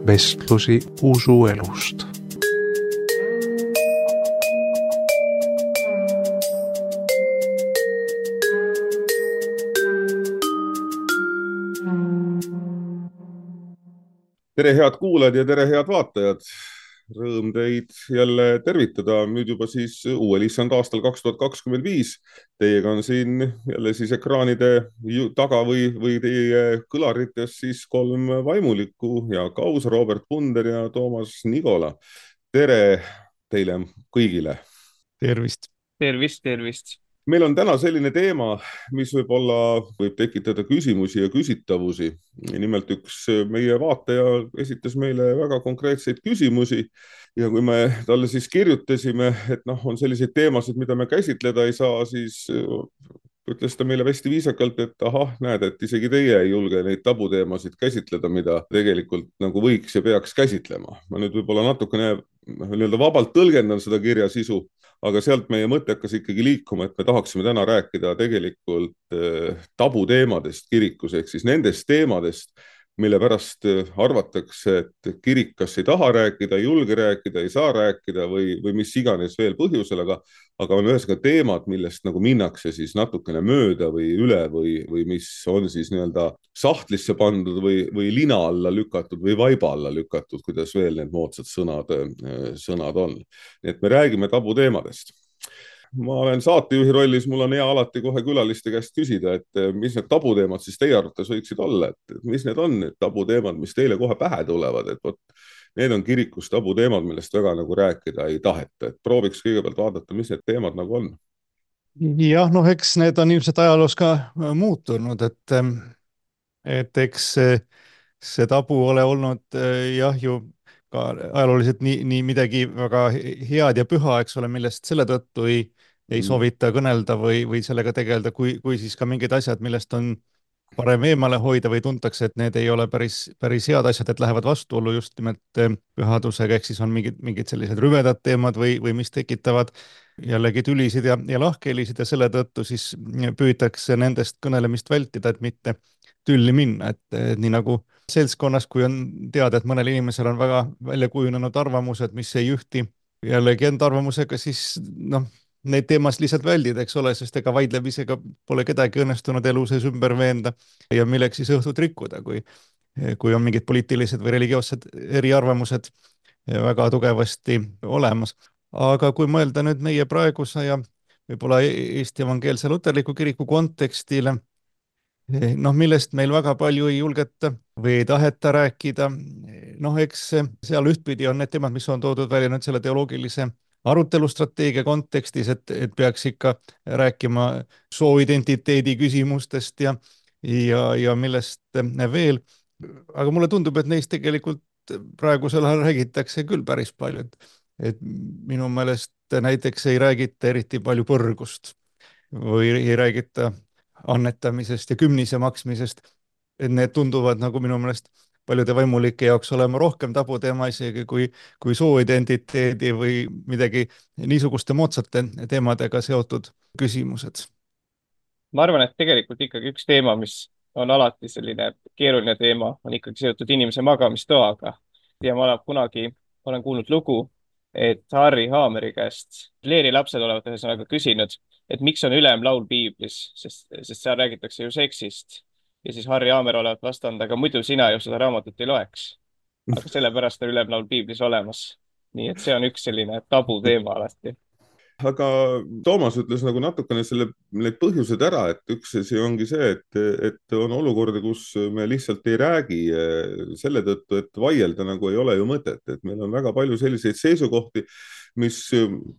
vestlusi usuelust. Tere head kuulajad ja tere head vaatajad. Rõõm teid jälle tervitada nüüd juba siis uuel issand aastal 2025. Teiega on siin jälle siis ekraanide taga või teie kõlarites siis kolm vaimulikku ja Kaus, Robert Punder ja Toomas Nigola. Tere teile kõigile. Tervist. Tervist, tervist. Meil on täna selline teema, mis võib tekitada küsimusi ja küsitavusi. Nimelt üks meie vaataja esitas meile väga konkreetseid küsimusi ja kui me talle siis kirjutasime, et on selliseid teemasid, mida me käsitleda ei saa, siis ütles ta meile hästi viisakalt, et näed, et isegi teie ei julge neid tabuteemasid käsitleda, mida tegelikult nagu võiks ja peaks käsitlema. Ma nüüd võib-olla natukene vabalt tõlgendan seda kirja sisu, aga sealt meie mõte hakkas ikkagi liikuma, et me tahaksime täna rääkida tegelikult tabuteemadest kirikus, ehk siis nendest teemadest, mille pärast arvatakse, et kirik kas ei taha rääkida, ei julge rääkida, ei saa rääkida või mis iganes veel põhjusel, aga on ühesõnaga teemad, millest nagu minnakse siis natukene mööda või üle või mis on siis nii-öelda sahtlisse pandud või lina alla lükatud või vaiba alla lükatud, kuidas veel need moodsad sõnad on. Nii et me räägime tabuteemadest. Ma olen saatejuhi rollis, mul on hea alati kohe külaliste käest küsida, et mis need tabuteemad siis teie arvates võiksid olla, et mis need on need tabuteemad, mis teile kohe pähe tulevad, et need on kirikus tabuteemad, millest väga nagu rääkida ei taheta, et prooviks kõigepealt vaadata, mis need teemad nagu on. Jah, eks need on ilmselt ajaloos ka muutunud, et eks see tabu ole olnud ju ka ajalooliselt nii midagi väga head ja püha, eks ole, millest selle tõttu ei soovita kõnelda või sellega tegeleda, kui siis ka mingid asjad, millest on parem eemale hoida või tuntakse, et need ei ole päris head asjad, et lähevad vastuollu just nimelt pühadusega, ehk siis on mingid sellised rüvedad teemad või mis tekitavad jällegi tülisid ja lahkhelisid ja selle tõttu siis püütakse nendest kõnelemist vältida, et mitte tülli minna, et nii nagu seltskonnas, kui on teada, et mõnel inimesel on väga välja kujunenud arvamused, mis ei ühti jällegi enda arvamusega, siis neid teemast lihtsalt väldida, eks ole, sest ega vaidlemisega pole kedagi õnnestunud elu sees ümber veenda ja milleks siis õhtut rikkuda, kui on mingid poliitilised või religioossed eriarvamused väga tugevasti olemas. Aga kui mõelda nüüd meie praeguse ja võib-olla Eesti Evangeelse Luterliku Kiriku kontekstile, millest meil väga palju ei julgeta või ei taheta rääkida, eks seal ühtpidi on need teemad, mis on toodud välja nüüd selle teoloogilise arutelustrateegia kontekstis, et peaks ikka rääkima sooidentiteedi küsimustest ja millest veel. Aga mulle tundub, et neist tegelikult praegusel ajal räägitakse küll päris palju, et minu meelest näiteks ei räägita eriti palju põrgust või ei räägita annetamisest ja kümnise maksmisest, et need tunduvad nagu minu meelest paljude vaimulike jaoks olema rohkem tabuteema isegi kui sooidentiteedi või midagi niisuguste moodsate teemadega seotud küsimused. Ma arvan, et tegelikult ikkagi üks teema, mis on alati selline keeruline teema, on ikkagi seotud inimese magamistoaga. Ja ma kunagi olen kuulnud lugu, et Harry Haameri käest Leeri lapsed olevat ühesõnaga küsinud, et miks on ülemlaul piiblis, sest seal räägitakse ju seksist. Ja siis Harry Haamer olevat vastanud, aga muidu sina ju seda raamatut ei loeks. Aga sellepärast on ülemlaul piiblis olemas. Nii et see on üks selline tabu teema alati. Aga Toomas ütles nagu natukene need põhjused ära, et üks asi ongi see, et on olukorda, kus me lihtsalt ei räägi selle tõttu, et vaielda nagu ei ole ju mõtet, et meil on väga palju selliseid seisukohti, mis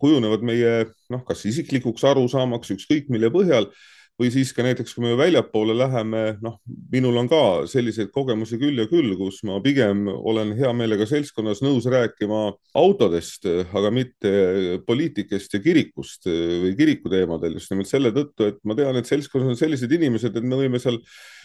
kujunevad meie kas isiklikuks arusaamaks ükskõik mille põhjal või siis ka näiteks, kui me väljapoole läheme, minul on ka selliseid kogemusi küll ja küll, kus ma pigem olen hea meelega seltskonnas nõus rääkima autodest, aga mitte poliitikast ja kirikust või kirikuteemadel just nimelt selle tõttu, et ma tean, et seltskonnas on sellised inimesed, et me võime seal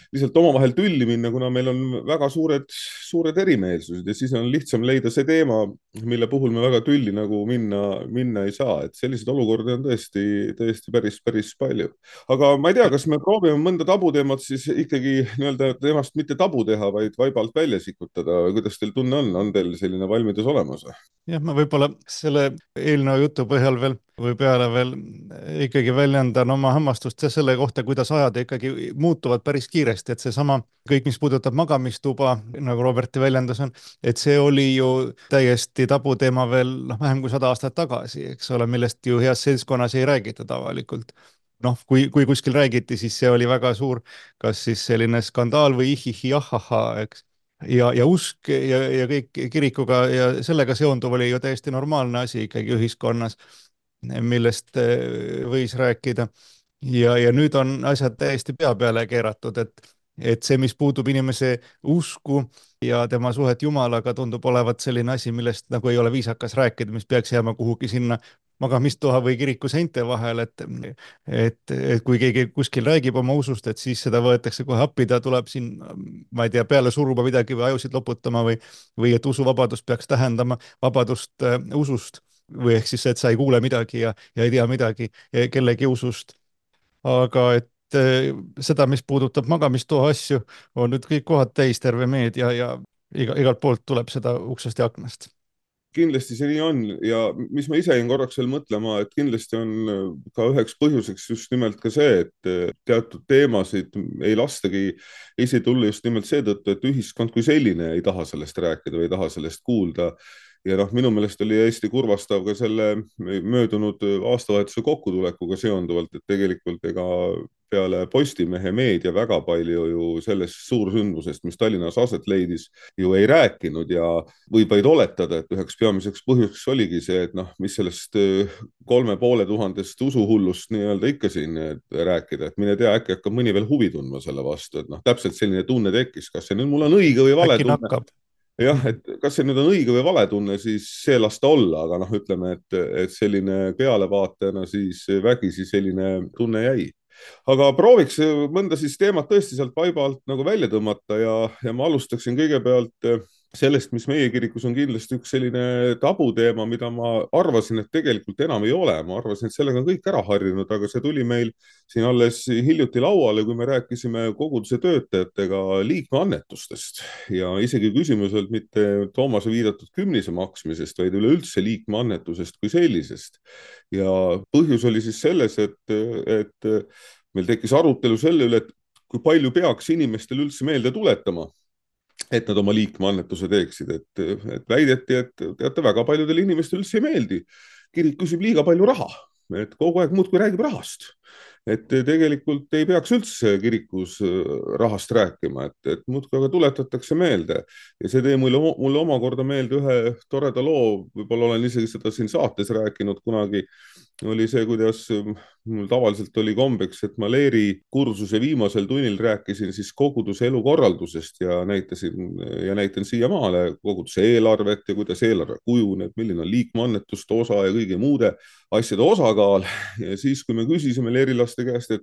lihtsalt omavahel tülli minna, kuna meil on väga suured erimeelsused ja siis on lihtsam leida see teema, mille puhul me väga tülli nagu minna ei saa, et selliseid olukordi on tõesti päris palju. Aga ma ei tea, kas me proovime mõnda tabuteemat siis ikkagi nii-öelda temast mitte tabu teha, vaid vaibalt välja sikutada. Kuidas teil tunne on teil selline valmidus olemas? jah, ma võib-olla selle eelnõu jutu põhjal veel või peale veel ikkagi väljendan oma hämmastust selle kohta, kuidas ajad ikkagi muutuvad päris kiiresti, et seesama kõik, mis puudutab magamistuba, nagu Roberti väljendus on, et see oli ju täiesti tabuteema veel vähem kui 100 aastat tagasi, eks ole, millest ju heas seltskonnas ei räägitud avalikult. Kui kuskil räägiti, siis see oli väga suur, kas siis selline skandaal või ihihi-ahaha, eks. Ja usk ja kõik kirikuga ja sellega seonduv oli ju täiesti normaalne asi ikkagi ühiskonnas, millest võis rääkida. Ja nüüd on asjad täiesti pea peale keeratud, et see, mis puudub inimese usku ja tema suhet Jumalaga, tundub olevat selline asi, millest nagu ei ole viisakas rääkida, mis peaks jääma kuhugi sinna magamistoa või kiriku seinte vahel, et kui keegi kuskil räägib oma usust, et siis seda võetakse kohe appi, ta tuleb siin, ma ei tea, peale suruma midagi või ajusid loputama või et usuvabadus peaks tähendama vabadust usust või ehk siis, et sa ei kuule midagi ja ei tea midagi kellegi usust. Aga et seda, mis puudutab magamistoa asju, on nüüd kõik kohad täis, terve meedia ja igalt poolt tuleb seda uksest ja aknast. Kindlasti see nii on ja mis ma ise jäin korraks veel mõtlema, et kindlasti on ka üheks põhjuseks just nimelt ka see, et teatud teemasid ei lastagi esile tulla just nimelt seetõttu, et ühiskond kui selline ei taha sellest rääkida või ei taha sellest kuulda. Ja minu meelest oli hästi kurvastav ka selle möödunud aastavahetuse kokkutulekuga seonduvalt, et tegelikult ega peale Postimehe meedia väga palju ju sellest suursündmusest, mis Tallinnas aset leidis, ju ei rääkinud ja võib vaid oletada, et üheks peamiseks põhjuseks oligi see, et mis sellest 3500 usuhullust nii-öelda ikka siin rääkida, et mine tea, äkki hakkab mõni veel huvi tundma selle vastu, et täpselt selline tunne tekkis, kas see nüüd mul on õige või vale tunne. Jah, et kas see nüüd on õige või vale tunne, siis see lasta olla, aga ütleme, et selline pealevaatajana siis vägisi selline tunne jäi. Aga prooviks mõnda siis teemat tõesti sealt vaiba alt nagu välja tõmmata ja ma alustaksin kõigepealt sellest, mis meie kirikus on kindlasti üks selline tabuteema, mida ma arvasin, et tegelikult enam ei ole. Ma arvasin, et sellega on kõik ära harjunud, aga see tuli meil siin alles hiljuti lauale, kui me rääkisime koguduse töötajatega liikmeannetustest ja isegi küsimuselt mitte Toomase viidatud kümnise maksmisest, vaid üleüldse liikmeannetusest kui sellisest. Ja põhjus oli siis selles, et meil tekkis arutelu selle üle, et kui palju peaks inimestel üldse meelde tuletama, et nad oma liikmeannetuse teeksid, et väideti, et teate, väga paljudele inimestele üldse ei meeldi. Kirik küsib liiga palju raha, et kogu aeg muudkui räägib rahast. Et tegelikult ei peaks üldse kirikus rahast rääkima, et muudkui aga tuletatakse meelde. Ja see tõi mulle omakorda meelde ühe toreda loo, võib-olla olen isegi seda siin saates rääkinud kunagi, oli see, kuidas mul tavaliselt oli kombeks, et ma Leeri kursuse viimasel tunnil rääkisin siis koguduse elukorraldusest ja näitan siiamaale koguduse eelarvet ja kuidas eelarve kujuneb, milline on liikmeannetuste osa ja kõigi muude asjade osakaal. Ja siis, kui me küsisime leerilaste käest,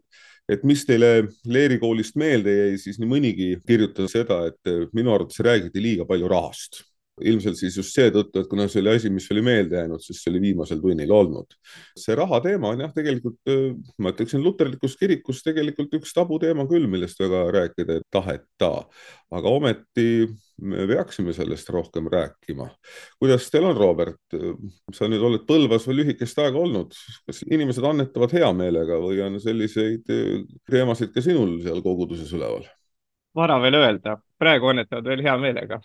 et mis teile Leeri koolist meelde jäi, siis nii mõnigi kirjutas seda, et minu arvates räägiti liiga palju rahast. Ilmselt siis just seetõttu, et kuna see oli asi, mis oli meelde jäänud, siis see oli viimasel tunnil olnud. See raha teema on jah, tegelikult, ma ütleksin, luterlikus kirikus tegelikult üks tabuteema küll, millest väga rääkida ei taheta. Aga ometi me peaksime sellest rohkem rääkima. Kuidas teil on, Robert? Sa nüüd oled Põlvas või lühikest aega olnud. Kas inimesed annetavad hea meelega või on selliseid teemasid ka sinul seal koguduses üleval? Vara veel öelda, praegu annetavad veel hea meelega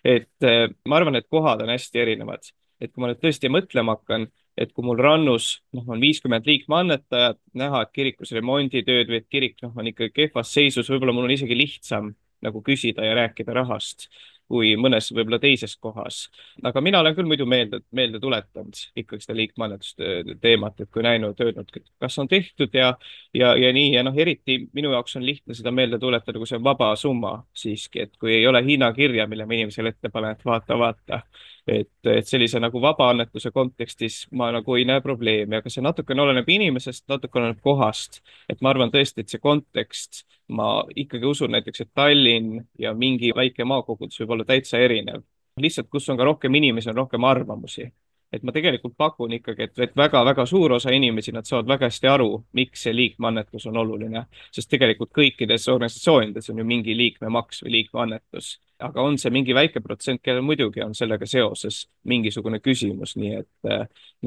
et ma arvan, et kohad on hästi erinevad. Et kui ma nüüd tõesti mõtlema hakkan, et kui mul rannus on 50 liikmeannetajat, näha, et kirikus remonditööd või et kirik on ikka kehvas seisus, võib-olla mul on isegi lihtsam nagu küsida ja rääkida rahast kui mõnes võib-olla teises kohas. Aga mina olen küll muidu meelde tuletanud ikkagi seda liikmeannetuste teemat, et kui näinud, öelnud, kas on tehtud ja nii. Ja eriti minu jaoks on lihtne seda meelde tuletada, kui see on vaba summa siiski, et kui ei ole hinnakirja, mille ma inimesele ette panen, et vaata, et sellise nagu vabaannetuse kontekstis ma nagu ei näe probleemi, aga see natukene oleneb inimesest, natuke oleneb kohast. Et ma arvan tõesti, et see kontekst, ma ikkagi usun näiteks, et Tallinn ja mingi väike maakogudus võib olla täitsa erinev. Lihtsalt, kus on ka rohkem inimesi, on rohkem arvamusi. Et ma tegelikult pakun ikkagi, et väga-väga suur osa inimesi, nad saavad väga hästi aru, miks see liikmeannetus on oluline. Sest tegelikult kõikides organisatsioonides on ju mingi liikmemaks või liikmeannetus. Aga on see mingi väike protsent, kellel muidugi on sellega seoses mingisugune küsimus, nii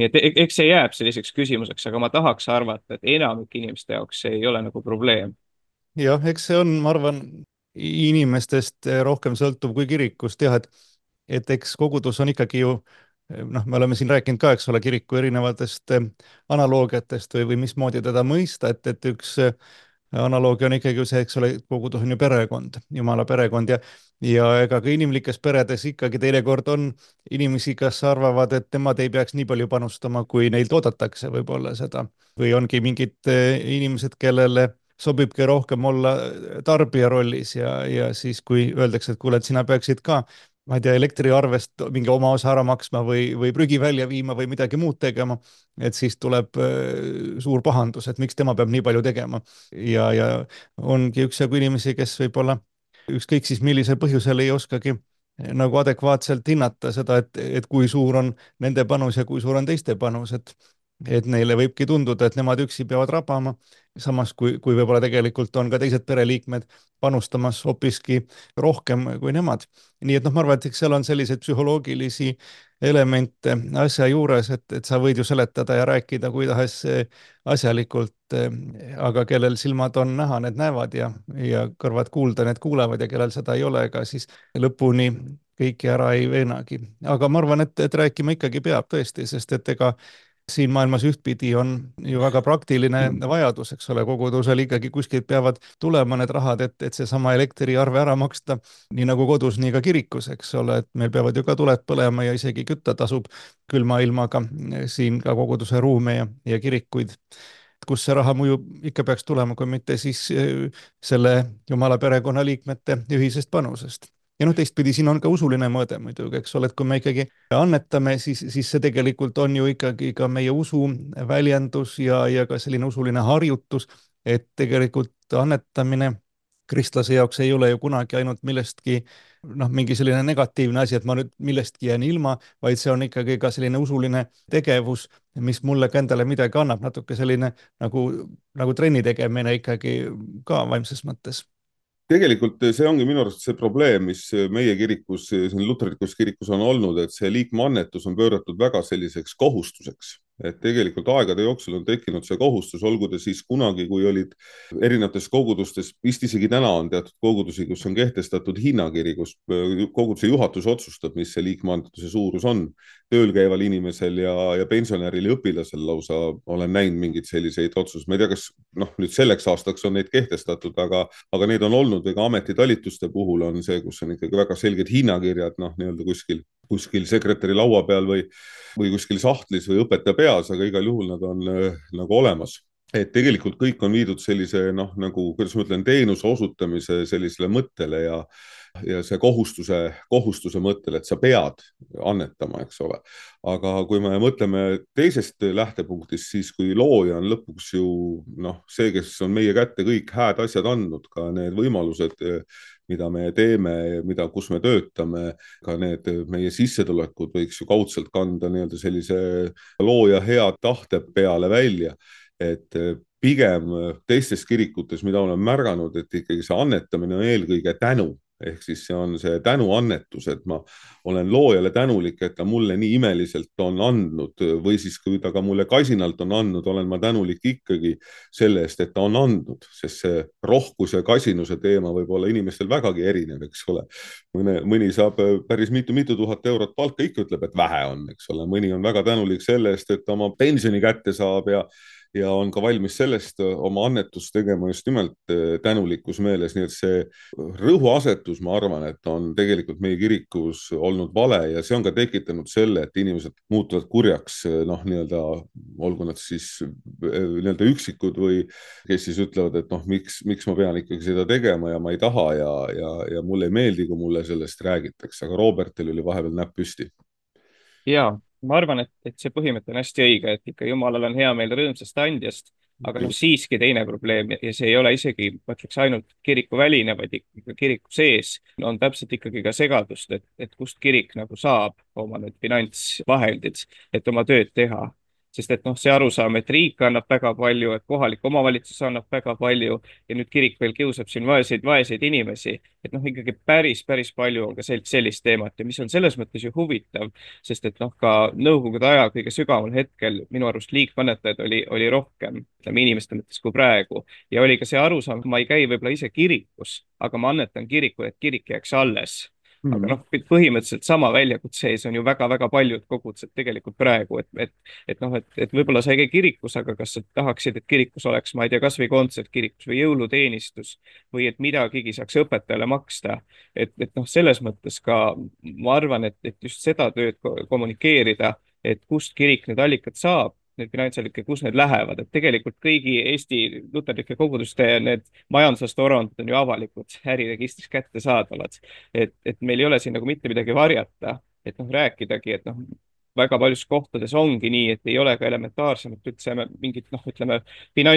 et eks see jääb selliseks küsimuseks, aga ma tahaks arvata, et enamik inimeste jaoks see ei ole nagu probleem. Jah, eks see on, ma arvan, inimestest rohkem sõltuv kui kirikust, jah, et eks kogudus on ikkagi ju, noh, me oleme siin rääkinud ka, eks ole, kiriku erinevatest analoogiatest või mismoodi teda mõista, et üks analoogia on ikkagi see, eks ole, kogudus on ju perekond, Jumala perekond ja ega ka inimlikes peredes ikkagi teinekord on inimesi, kes arvavad, et nemad ei peaks nii palju panustama, kui neilt oodatakse võib-olla seda. Või ongi mingid inimesed, kellele sobibki rohkem olla tarbija rollis ja siis, kui öeldakse, et kuule, et sina peaksid ka, ma ei tea, elektriarvest mingi oma osa ära maksma või prügi välja viima või midagi muud tegema, et siis tuleb suur pahandus, et miks tema peab nii palju tegema. Ja ongi üksjagu inimesi, kes võib-olla ükskõik siis millisel põhjusel ei oskagi nagu adekvaatselt hinnata seda, et kui suur on nende panus ja kui suur on teiste panus, et neile võibki tunduda, et nemad üksi peavad rabama, samas kui võib-olla tegelikult on ka teised pereliikmed panustamas hoopiski rohkem kui nemad. Nii et noh, ma arvan, et seal on selliseid psühholoogilisi elemente asja juures, et sa võid ju seletada ja rääkida kuidas asjalikult, aga kellel silmad on näha, need näevad ja kõrvad kuulda, need kuulevad ja kellel seda ei ole, ega siis lõpuni kõiki ära ei veenagi. Aga ma arvan, et rääkima ikkagi peab tõesti, sest et ega siin maailmas ühtpidi on ju väga praktiline vajadus, eks ole, kogudusel ikkagi kuskilt peavad tulema need rahad, et seesama elektriarve ära maksta, nii nagu kodus, nii ka kirikus, eks ole, et meil peavad ju ka tuled põlema ja isegi kütta tasub külma ilmaga siin ka koguduse ruume ja kirikuid. Kus see raha muidu ikka peaks tulema, kui mitte siis selle Jumala perekonna liikmete ühisest panusest. Ja noh, teistpidi siin on ka usuline mõõde muidugi, eks ole, et kui me ikkagi annetame, siis see tegelikult on ju ikkagi ka meie usu väljendus ja ka selline usuline harjutus, et tegelikult annetamine kristlase jaoks ei ole ju kunagi ainult millestki, noh, mingi selline negatiivne asi, et ma nüüd millestki jään ilma, vaid see on ikkagi ka selline usuline tegevus, mis mulle ka endale midagi annab, natuke selline nagu trenni tegemine ikkagi ka vaimses mõttes. Tegelikult see ongi minu arust see probleem, mis meie kirikus, siin luterlikus kirikus on olnud, et see liikmeannetus on pööratud väga selliseks kohustuseks. Et tegelikult aegade jooksul on tekkinud see kohustus, olgu ta siis kunagi, kui olid erinevates kogudustes, vist isegi täna on teatud kogudusi, kus on kehtestatud hinnakiri, kus koguduse juhatus otsustab, mis see liikmeannetuse suurus on. Tööl käival inimesel ja pensionäril ja õpilasel lausa olen näinud mingeid selliseid otsuseid. Ma ei tea, kas nüüd selleks aastaks on neid kehtestatud, aga need on olnud või ka ametitalituste puhul on see, kus on ikkagi väga selged hinnakirjad, nii-öelda kuskil sekretäri laua peal või kuskil sahtlis või õpetaja peas, aga igal juhul nad on nagu olemas. Et tegelikult kõik on viidud sellise, kuidas ma ütlen, teenuse osutamise sellisele mõttele ja see kohustuse mõttele, et sa pead annetama, eks ole. Aga kui me mõtleme teisest lähtepunktist, siis kui looja on lõpuks ju see, kes on meie kätte kõik hääd asjad andnud, ka need võimalused, mida me teeme, kus me töötame, ka need meie sissetulekud võiks ju kaudselt kanda nii-öelda sellise looja hea tahte peale välja. Et pigem teistes kirikutes, mida olen märganud, et ikkagi see annetamine on eelkõige tänu. Ehk siis see on see tänuannetus, et ma olen loojale tänulik, et ta mulle nii imeliselt on andnud või siis kui ta ka mulle kasinalt on andnud, olen ma tänulik ikkagi selle eest, et ta on andnud, sest see rohkus ja kasinuse teema võib olla inimestel vägagi erinev, eks ole. Mõni saab päris mitu tuhat eurot palka, ikka ütleb, et vähe on, eks ole. Mõni on väga tänulik selle eest, et oma pensioni kätte saab ja on ka valmis sellest oma annetust tegema just nimelt tänulikus meeles, nii et see rõhuasetus, ma arvan, et on tegelikult meie kirikus olnud vale ja see on ka tekitanud selle, et inimesed muutuvad kurjaks, nii-öelda, olgu nad siis nii-öelda üksikud või kes siis ütlevad, et miks ma pean ikkagi seda tegema ja ma ei taha ja mulle ei meeldi, kui mulle sellest räägitakse, aga Robertil oli vahepeal näpp püsti. ja ma arvan, et see põhimõte on hästi õige, et ikka Jumalal on hea meel rõõmsast andjast, aga noh, siiski teine probleem ja see ei ole isegi, ma ütleks, ainult kirikuväline, vaid ikka kiriku sees on täpselt ikkagi ka segadust, et kust kirik nagu saab oma need finantsvahendid, et oma tööd teha. Sest et noh, see arusaam, et riik annab väga palju, et kohalik omavalitsus annab väga palju ja nüüd kirik veel kiusab siin vaeseid inimesi, et noh, ikkagi päris palju on ka sellist teemat ja mis on selles mõttes ju huvitav, sest et noh, ka nõukogude aja kõige sügaval hetkel minu arust liigkannetajaid oli rohkem, ütleme inimeste mõttes kui praegu. Ja oli ka see arusaam, ma ei käi võib-olla ise kirikus, aga ma annetan kirikule, et kirik jääks alles. Aga noh, põhimõtteliselt sama väljakutse ees on ju väga-väga paljud kogudused tegelikult praegu, et võib-olla sa ei käi kirikus, aga kas sa tahaksid, et kirikus oleks, ma ei tea, kasvõi kontsert kirikus või jõuluteenistus või et midagigi saaks õpetajale maksta. Et noh, selles mõttes ka ma arvan, et just seda tööd kommunikeerida, et kust kirik need allikad saab, need finantsallikad, kus need lähevad, et tegelikult kõigi Eesti luterlike koguduste need majandusaasta-aruanded on ju avalikud, äriregistris kättesaadavad. Et meil ei ole siin nagu mitte midagi varjata, et noh, rääkidagi, et noh, väga paljudes kohtades ongi nii, et ei ole ka elementaarsemat üldse mingit noh, ütleme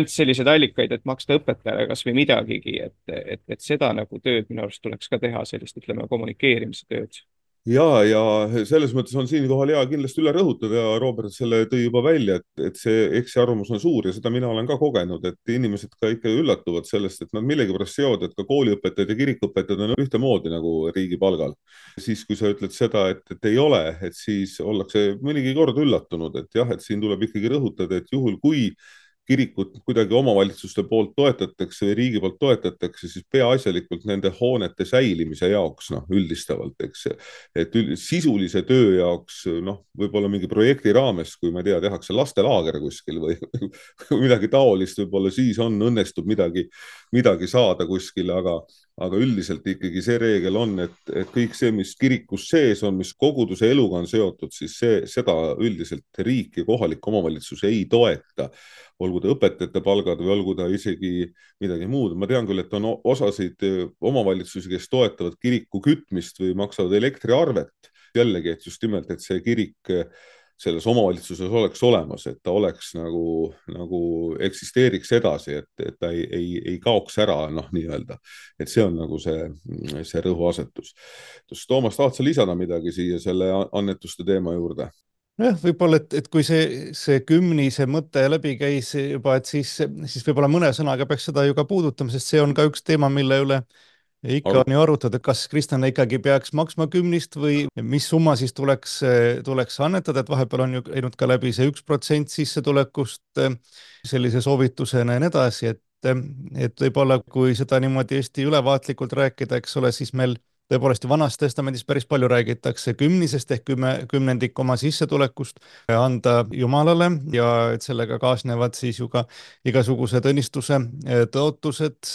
selliseid allikaid, et maksta õpetajale kas või midagigi, et seda nagu tööd minu arust tuleks ka teha, sellist ütleme kommunikeerimise tööd. ja selles mõttes on siinkohal hea kindlasti üle rõhutada ja Robert selle tõi juba välja, et see eksiarvamus on suur ja seda mina olen ka kogenud, et inimesed ka ikka üllatuvad sellest, et nad millegipärast seovad, et ka kooliõpetajad ja kirikuõpetajad on ühtemoodi nagu riigi palgal. Siis, kui sa ütled seda, et ei ole, et siis ollakse mõnigi kord üllatunud, et jah, et siin tuleb ikkagi rõhutada, et juhul kui kirikut kuidagi omavalitsuste poolt toetatakse või riigi poolt toetatakse, siis peaasjalikult nende hoonete säilimise jaoks, noh, üldistavalt, eks, et sisulise töö jaoks, noh, võib-olla mingi projekti raames, kui ma ei tea, tehakse lastelaager kuskil või midagi taolist, võib-olla siis õnnestub midagi saada kuskil, aga üldiselt ikkagi see reegel on, et kõik see, mis kirikus sees on, mis koguduse eluga on seotud, siis seda üldiselt riik ja kohalik omavalitsus ei toeta, olgu ta õpetajate palgad või olgu ta isegi midagi muud. Ma tean küll, et on osasid omavalitsusi, kes toetavad kiriku kütmist või maksavad elektriarvet. Jällegi, et just nimelt, et see kirik selles omavalitsuses oleks olemas, et ta oleks nagu eksisteeriks edasi, et ta ei kaoks ära, noh, nii-öelda. Et see on nagu see rõhuasetus. Toomas, tahad sa lisada midagi siia selle annetuste teema juurde? Jah, võib-olla, et kui see kümnise mõte läbi käis juba, et siis võib-olla mõne sõnaga peaks seda ju ka puudutama, sest see on ka üks teema, mille üle ikka on ju arutatud, et kas kristlane ikkagi peaks maksma kümnist või mis summa siis tuleks annetada, et vahepeal on ju käinud ka läbi see 1% sissetulekust sellise soovitusena ja nii edasi, et võib-olla kui seda niimoodi hästi ülevaatlikult rääkida, eks ole, siis meil tõepoolest Vanas Testamendis päris palju räägitakse kümnisest ehk kümnendik oma sissetulekust anda Jumalale ja et sellega kaasnevad siis ju ka igasugused õnnistuse tõotused.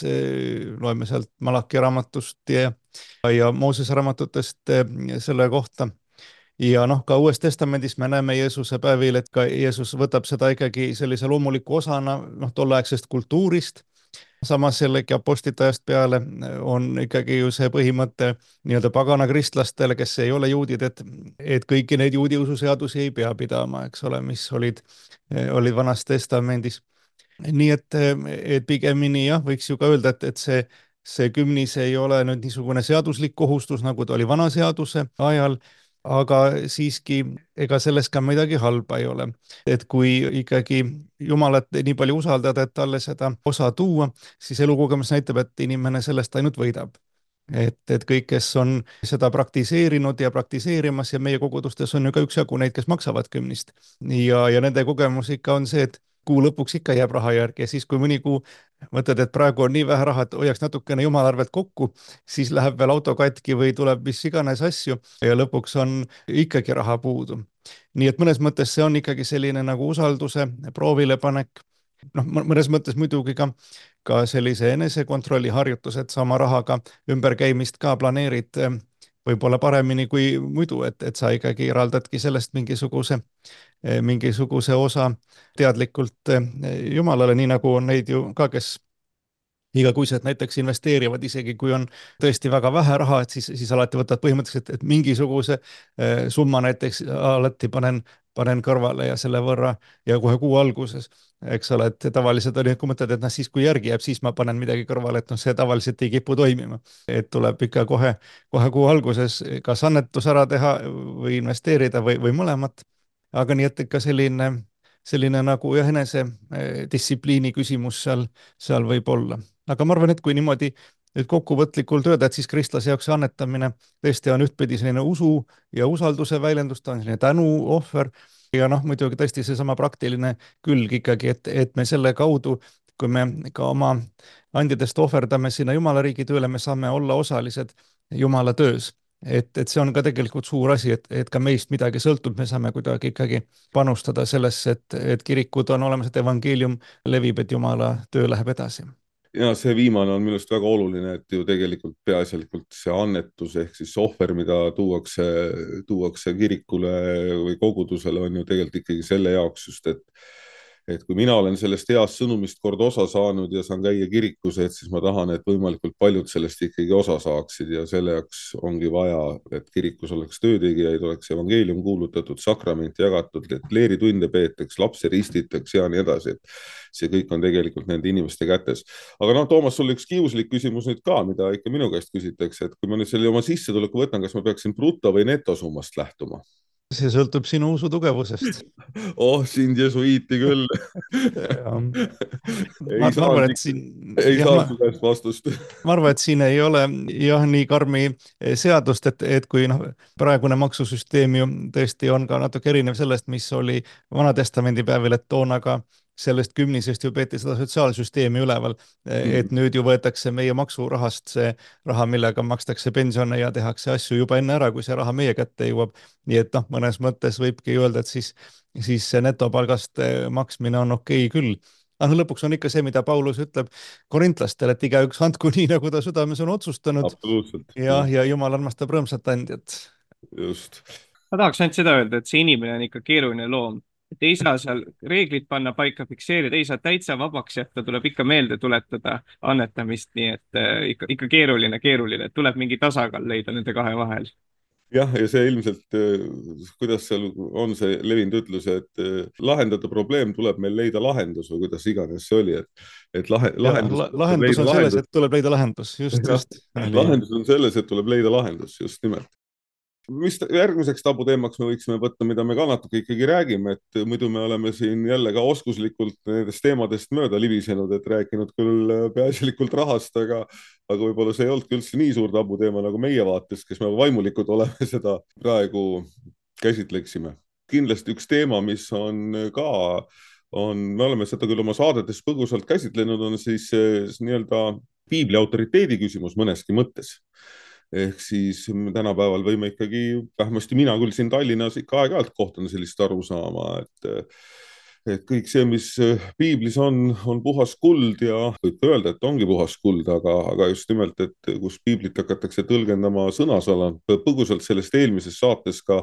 Loeme sealt Malaki raamatust ja Moosese raamatutest selle kohta. Ja noh, ka Uues Testamendis me näeme Jeesuse päevil, et ka Jeesus võtab seda ikkagi sellise loomuliku osana tolleaegsest kultuurist. Samas jällegi apostlite ajast peale on ikkagi ju see põhimõte nii-öelda pagana kristlastel, kes ei ole juudid, et kõiki neid juudi ususeadusi ei pea pidama, eks ole, mis olid Vanas Testamendis. Nii et pigemini jah, võiks ju ka öelda, et see kümnis ei ole nüüd niisugune seaduslik kohustus, nagu ta oli vana seaduse ajal, aga siiski ega selles ka midagi halba ei ole. Et kui ikkagi Jumalat nii palju usaldada, et talle seda osa tuua, siis elukogemus näitab, et inimene sellest ainult võidab. Et kõik, kes on seda praktiseerinud ja praktiseerimas ja meie kogudustes on ju ka üksjagu neid, kes maksavad kümnist. Ja nende kogemus ikka on see, et kuu lõpuks ikka jääb raha järgi ja siis, kui mõni kuu mõtled, et praegu on nii vähe raha, et hoiaks natukene Jumala arvelt kokku, siis läheb veel auto katki või tuleb mis iganes asju ja lõpuks on ikkagi raha puudu. Nii et mõnes mõttes see on ikkagi selline nagu usalduse proovilepanek. Noh, mõnes mõttes muidugi ka sellise enesekontrolli harjutus, et sama rahaga ümberkäimist ka planeerid võib-olla paremini kui muidu, et sa ikkagi eraldadki sellest mingisuguse osa teadlikult Jumalale, nii nagu on neid ju ka, kes igakuiselt näiteks investeerivad, isegi kui on tõesti väga vähe raha, et siis alati võtad põhimõtteliselt, et mingisuguse summa näiteks alati panen kõrvale ja selle võrra ja kohe kuu alguses, eks ole, et tavaliselt oli, kui mõtled, et noh, siis kui järgi jääb, siis ma panen midagi kõrvale, et noh, see tavaliselt ei kipu toimima, et tuleb ikka kohe kuu alguses kas annetus ära teha või investeerida või mõlemat. aga nii, et ikka selline nagu jah, enesedistsipliini küsimus seal võib olla. aga ma arvan, et kui niimoodi nüüd kokkuvõtlikult öelda, et siis kristlase jaoks see annetamine tõesti on ühtpidi selline usu ja usalduse väljendus, ta on selline tänuohver ja noh, muidugi tõesti seesama praktiline külg ikkagi, et me selle kaudu, kui me ka oma andidest ohverdame sinna Jumala riigi tööle, me saame olla osalised Jumala töös. Et see on ka tegelikult suur asi, et ka meist midagi sõltub, me saame kuidagi ikkagi panustada sellesse, et kirikud on olemas, et evangeelium levib, et Jumala töö läheb edasi. Ja see viimane on minu arust väga oluline, et ju tegelikult peaasjalikult see annetus ehk siis ohver, mida tuuakse kirikule või kogudusele, on ju tegelikult ikkagi selle jaoks just, et kui mina olen sellest heast sõnumist kord osa saanud ja saan käia kirikus, et siis ma tahan, et võimalikult paljud sellest ikkagi osa saaksid ja selle jaoks ongi vaja, et kirikus oleks töötegijaid, oleks evangeelium kuulutatud, sakrament jagatud, et leeritunde peetaks, lapsi ristitaks ja nii edasi. Et see kõik on tegelikult nende inimeste kätes. Aga noh, Toomas, sul üks kiuslik küsimus nüüd ka, mida ikka minu käest küsitakse, et kui ma nüüd selle oma sissetuleku võtan, kas ma peaksin bruto või netosummast lähtuma? See sõltub sinu usu tugevusest. Oh, sind jesuiiti küll. Ma arvan, et siin ei saa su käest vastust. Ma arvan, et siin ei ole jah nii karmi seadust, et kui noh, praegune maksusüsteem ju tõesti on ka natuke erinev sellest, mis oli Vanatestamendi päevil, et toona ka sellest kümnisest ju peeti seda sotsiaalsüsteemi üleval, et nüüd ju võetakse meie maksurahast see raha, millega makstakse pensione ja tehakse asju juba enne ära, kui see raha meie kätte jõuab. Nii et noh, mõnes mõttes võibki öelda, et siis see netopalgast maksmine on okei küll. Aga lõpuks on ikka see, mida Paulus ütleb korintlastele, et igaüks andku nii, nagu ta südames on otsustanud. Absoluutselt. Ja Jumal armastab rõõmsat andjat. Just. Ma tahaks ainult seda öelda, et see inimene on ikka keeruline loom. Et ei saa seal reeglid panna paika, fikseerida, ei saa täitsa vabaks jätta, tuleb ikka meelde tuletada annetamist, nii et ikka keeruline, tuleb mingi tasakaal leida nende kahe vahel. Jah, ja see ilmselt, kuidas seal on see levinud ütlus, et lahendada probleem tuleb meil leida lahendus või kuidas iganes see oli, et lahendus on selles, et tuleb leida lahendus, just. Lahendus on selles, et tuleb leida lahendus, just nimelt. Mis järgmiseks tabuteemaks me võiksime võtta, mida me ka natuke ikkagi räägime, et muidu me oleme siin jälle ka oskuslikult nendest teemadest mööda libisenud, et rääkinud küll peaasjalikult rahast, aga võib-olla see ei olnudki üldse nii suur tabuteema nagu meie vaates, kes me vaimulikud oleme, seda praegu käsitleksime. Kindlasti üks teema, mis on ka, me oleme seda küll oma saadetes põgusalt käsitlenud, on siis nii-öelda piibli autoriteedi küsimus mõneski mõttes. Ehk siis tänapäeval võime ikkagi, vähemasti mina küll siin Tallinnas ikka aeg-ajalt kohtan sellist arusaama, et kõik see, mis piiblis on puhas kuld ja võib öelda, et ongi puhas kuld, aga just nimelt, et kus piiblit hakatakse tõlgendama sõnasõna, põgusalt sellest eelmises saates ka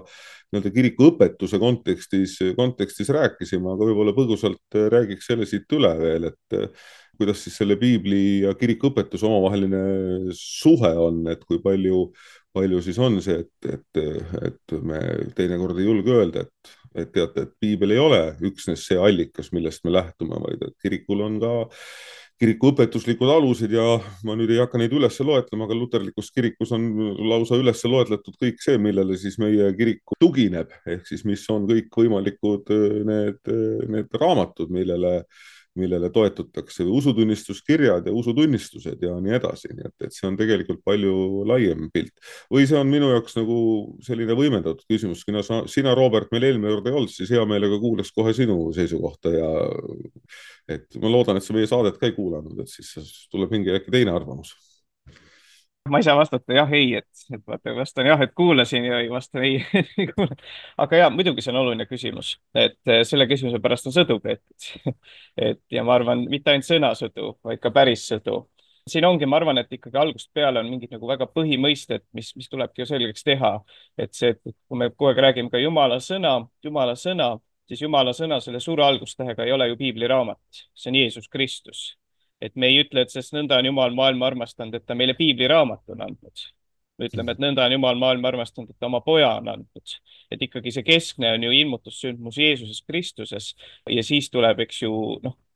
nii-öelda kiriku õpetuse kontekstis rääkisime, aga võib-olla põgusalt räägiks selle siit üle veel, et kuidas siis selle piibli ja kiriku õpetuse omavaheline suhe on, et kui palju siis on see, et me teinekord ei julge öelda, et teate, et piibel ei ole üksnes see allikas, millest me lähtume, vaid et kirikul on ka kiriku õpetuslikud alused ja ma nüüd ei hakka neid üles loetlema, aga luterlikus kirikus on lausa üles loetletud kõik see, millele siis meie kiriku tugineb, ehk siis mis on kõik võimalikud need raamatud, millele toetutakse, usutunnistuskirjad ja usutunnistused ja nii edasi. Nii et see on tegelikult palju laiem pilt. Või see on minu jaoks nagu selline võimendatud küsimus. Sina, Robert, meil eelmine kord ei olnud, siis hea meelega kuulaks kohe sinu seisukohta ja et ma loodan, et sa meie saadet ka ei kuulanud, et siis tuleb mingi äkki teine arvamus. Ma ei saa vastata jah, ei, et vastan jah, et kuulasin ja ei vasta ei. Aga jah, muidugi see on oluline küsimus, et selle küsimuse pärast on sõdu peetud. Ja ma arvan, mitte ainult sõnasõdu, vaid ka päris sõdu. Siin ongi, ma arvan, et ikkagi algusest peale on mingid nagu väga põhimõisted, mis tulebki ju selgeks teha. Et see, et kui me kogu aeg räägime ka Jumala sõna, siis Jumala sõna selle suure algustähega ei ole ju piibliraamat, see on Jeesus Kristus. et me ei ütle, et sest nõnda on Jumal maailma armastanud, et ta meile piibliraamat on andnud. Me ütleme, et nõnda on Jumal maailma armastanud, et ta oma poja on andnud. Et ikkagi see keskne on ju ilmutussündmus Jeesuses Kristuses ja siis tuleb, eks ju,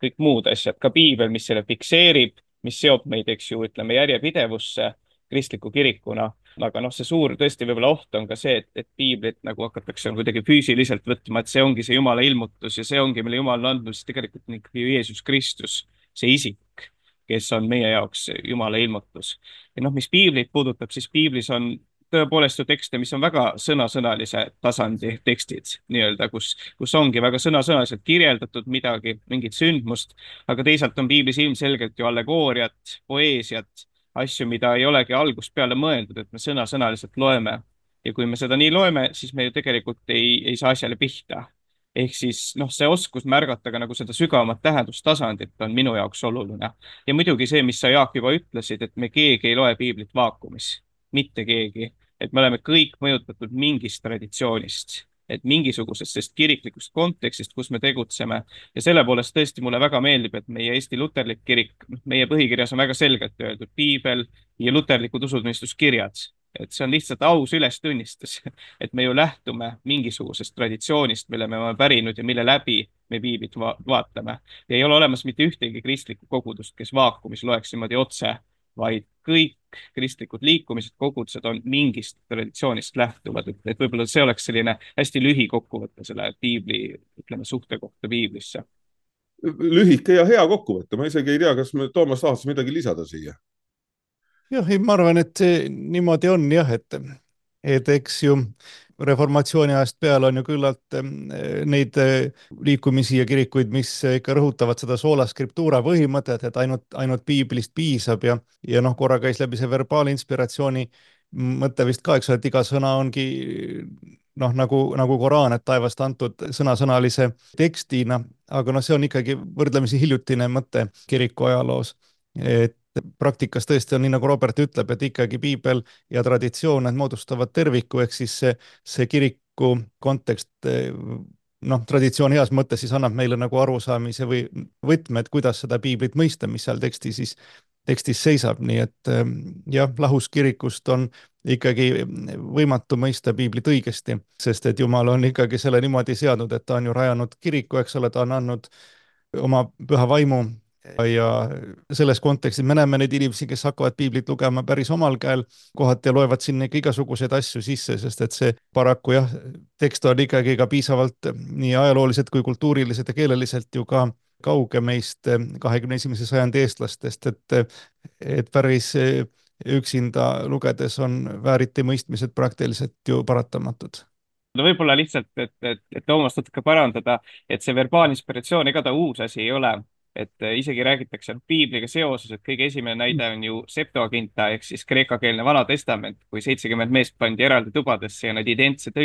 kõik muud asjad, ka piibel, mis selle fikseerib, mis seob meid, eks ju, ütleme järjepidevusse kristliku kirikuna. Aga see suur tõesti võib-olla oht on ka see, et piiblit nagu hakatakse kuidagi füüsiliselt võtma, et see ongi see Jumala ilmutus ja see ongi, mille Jumal on andnud, siis tegelikult on ikkagi Jeesus Kristus, see isik, kes on meie jaoks Jumala ilmutus. Ja mis piiblit puudutab, siis piiblis on tõepoolest ju tekste, mis on väga sõnasõnalise tasandi tekstid, nii-öelda, kus ongi väga sõnasõnaliselt kirjeldatud midagi, mingit sündmust, aga teisalt on piiblis ilmselgelt ju allegooriat, poeesiat, asju, mida ei olegi algust peale mõeldud, et me sõnasõnaliselt loeme. Ja kui me seda nii loeme, siis me ju tegelikult ei saa asjale pihta. Ehk siis see oskus märgata ka nagu seda sügavamat tähendustasandit on minu jaoks oluline. Ja muidugi see, mis sa Jaak juba ütlesid, et me keegi ei loe piiblit vaakumis. Mitte keegi. Et me oleme kõik mõjutatud mingist traditsioonist. Et mingisugusest kiriklikust kontekstist, kus me tegutseme. Ja selle poolest tõesti mulle väga meeldib, et meie Eesti luterlik kirik, meie põhikirjas on väga selgelt öeldud piibel ja luterlikud usutunnistuskirjad. Et see on lihtsalt aus ülestunnistus, et me ju lähtume mingisugusest traditsioonist, mille me oleme pärinud ja mille läbi me piiblit vaatame. Ja ei ole olemas mitte ühtegi kristlikku kogudust, kes vaakumis loeks niimoodi otse, vaid kõik kristlikud liikumised, kogudused on mingist traditsioonist lähtuvad. Et võib-olla see oleks selline hästi lühikokkuvõte selle piibli, ütleme, suhte kohta piiblisse. Lühike ja hea kokkuvõte. Ma isegi ei tea, kas me Toomas tahaks midagi lisada siia. Jah, ma arvan, et see niimoodi on jah, et eks ju reformatsiooni ajast peale on ju küllalt neid liikumisi ja kirikuid, mis ikka rõhutavad seda sola scriptura põhimõtet, et ainult piiblist piisab ja korra käis läbi see verbaalinspiratsiooni mõte vist ka, eks ole, et iga sõna ongi nagu Koraan, et taevast antud sõnasõnalise tekstina, aga see on ikkagi võrdlemisi hiljutine mõte kiriku ajaloos, et praktikas tõesti on nii, nagu Robert ütleb, et ikkagi piibel ja traditsioon moodustavad terviku, ehk siis see kiriku kontekst, traditsioon heas mõttes siis annab meile nagu arusaamise või võtmed, kuidas seda piiblit mõista, mis seal tekstis seisab, nii et jah, lahus kirikust on ikkagi võimatu mõista piiblit õigesti, sest et Jumal on ikkagi selle niimoodi seadnud, et ta on ju rajanud kiriku, eks ole, ta on andnud oma püha vaimu ja selles kontekstis me näeme neid inimesi, kes hakkavad piiblit lugema päris omal käel, kohati loevad sinna igasuguseid asju sisse, sest et see paraku jah, tekst on ikkagi ka piisavalt nii ajalooliselt kui kultuuriliselt ja keeleliselt ju ka kauge meist 21. sajandi eestlastest, et päris üksinda lugedes on vääriti mõistmised praktiliselt ju paratamatud. Võib-olla lihtsalt, et Toomas natuke parandada, et see verbaalinspiratsioon ega ta uus asi ei ole. Et isegi räägitakse piibliga seoses, et kõige esimene näide on ju Septuaginta ehk siis kreekakeelne Vana Testament, kui 70 meest pandi eraldi tubadesse ja nad identse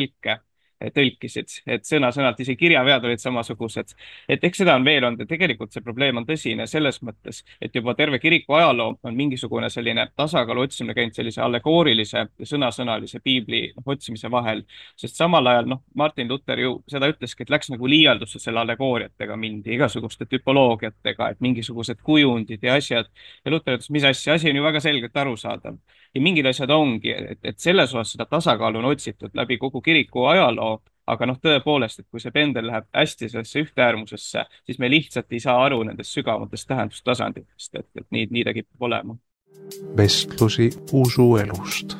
tõlkisid, et sõna-sõnalt isegi kirjavead olid samasugused. Et eks seda on veel olnud ja tegelikult see probleem on tõsine selles mõttes, et juba terve kiriku ajaloo on mingisugune selline tasakaalu otsimine käinud sellise allegoorilise ja sõnasõnalise piibli otsimise vahel, sest samal ajal Martin Luther ju seda ütleski, et läks nagu liialdusse selle allegooriatega mindi, igasuguste tüpoloogiatega, et mingisugused kujundid ja asjad. Ja Luther ütles, mis asja, asi on ju väga selgelt arusaadav. Ja mingid asjad ongi, et selles osas seda tasakaalu on otsitud läbi kogu kiriku ajaloo, aga tõepoolest, et kui see pendel läheb hästi sellesse ühteäärmusesse, siis me lihtsalt ei saa aru nendest sügavatest tähendustasanditest, et nii ta kipub olema. Vestlusi usuelust.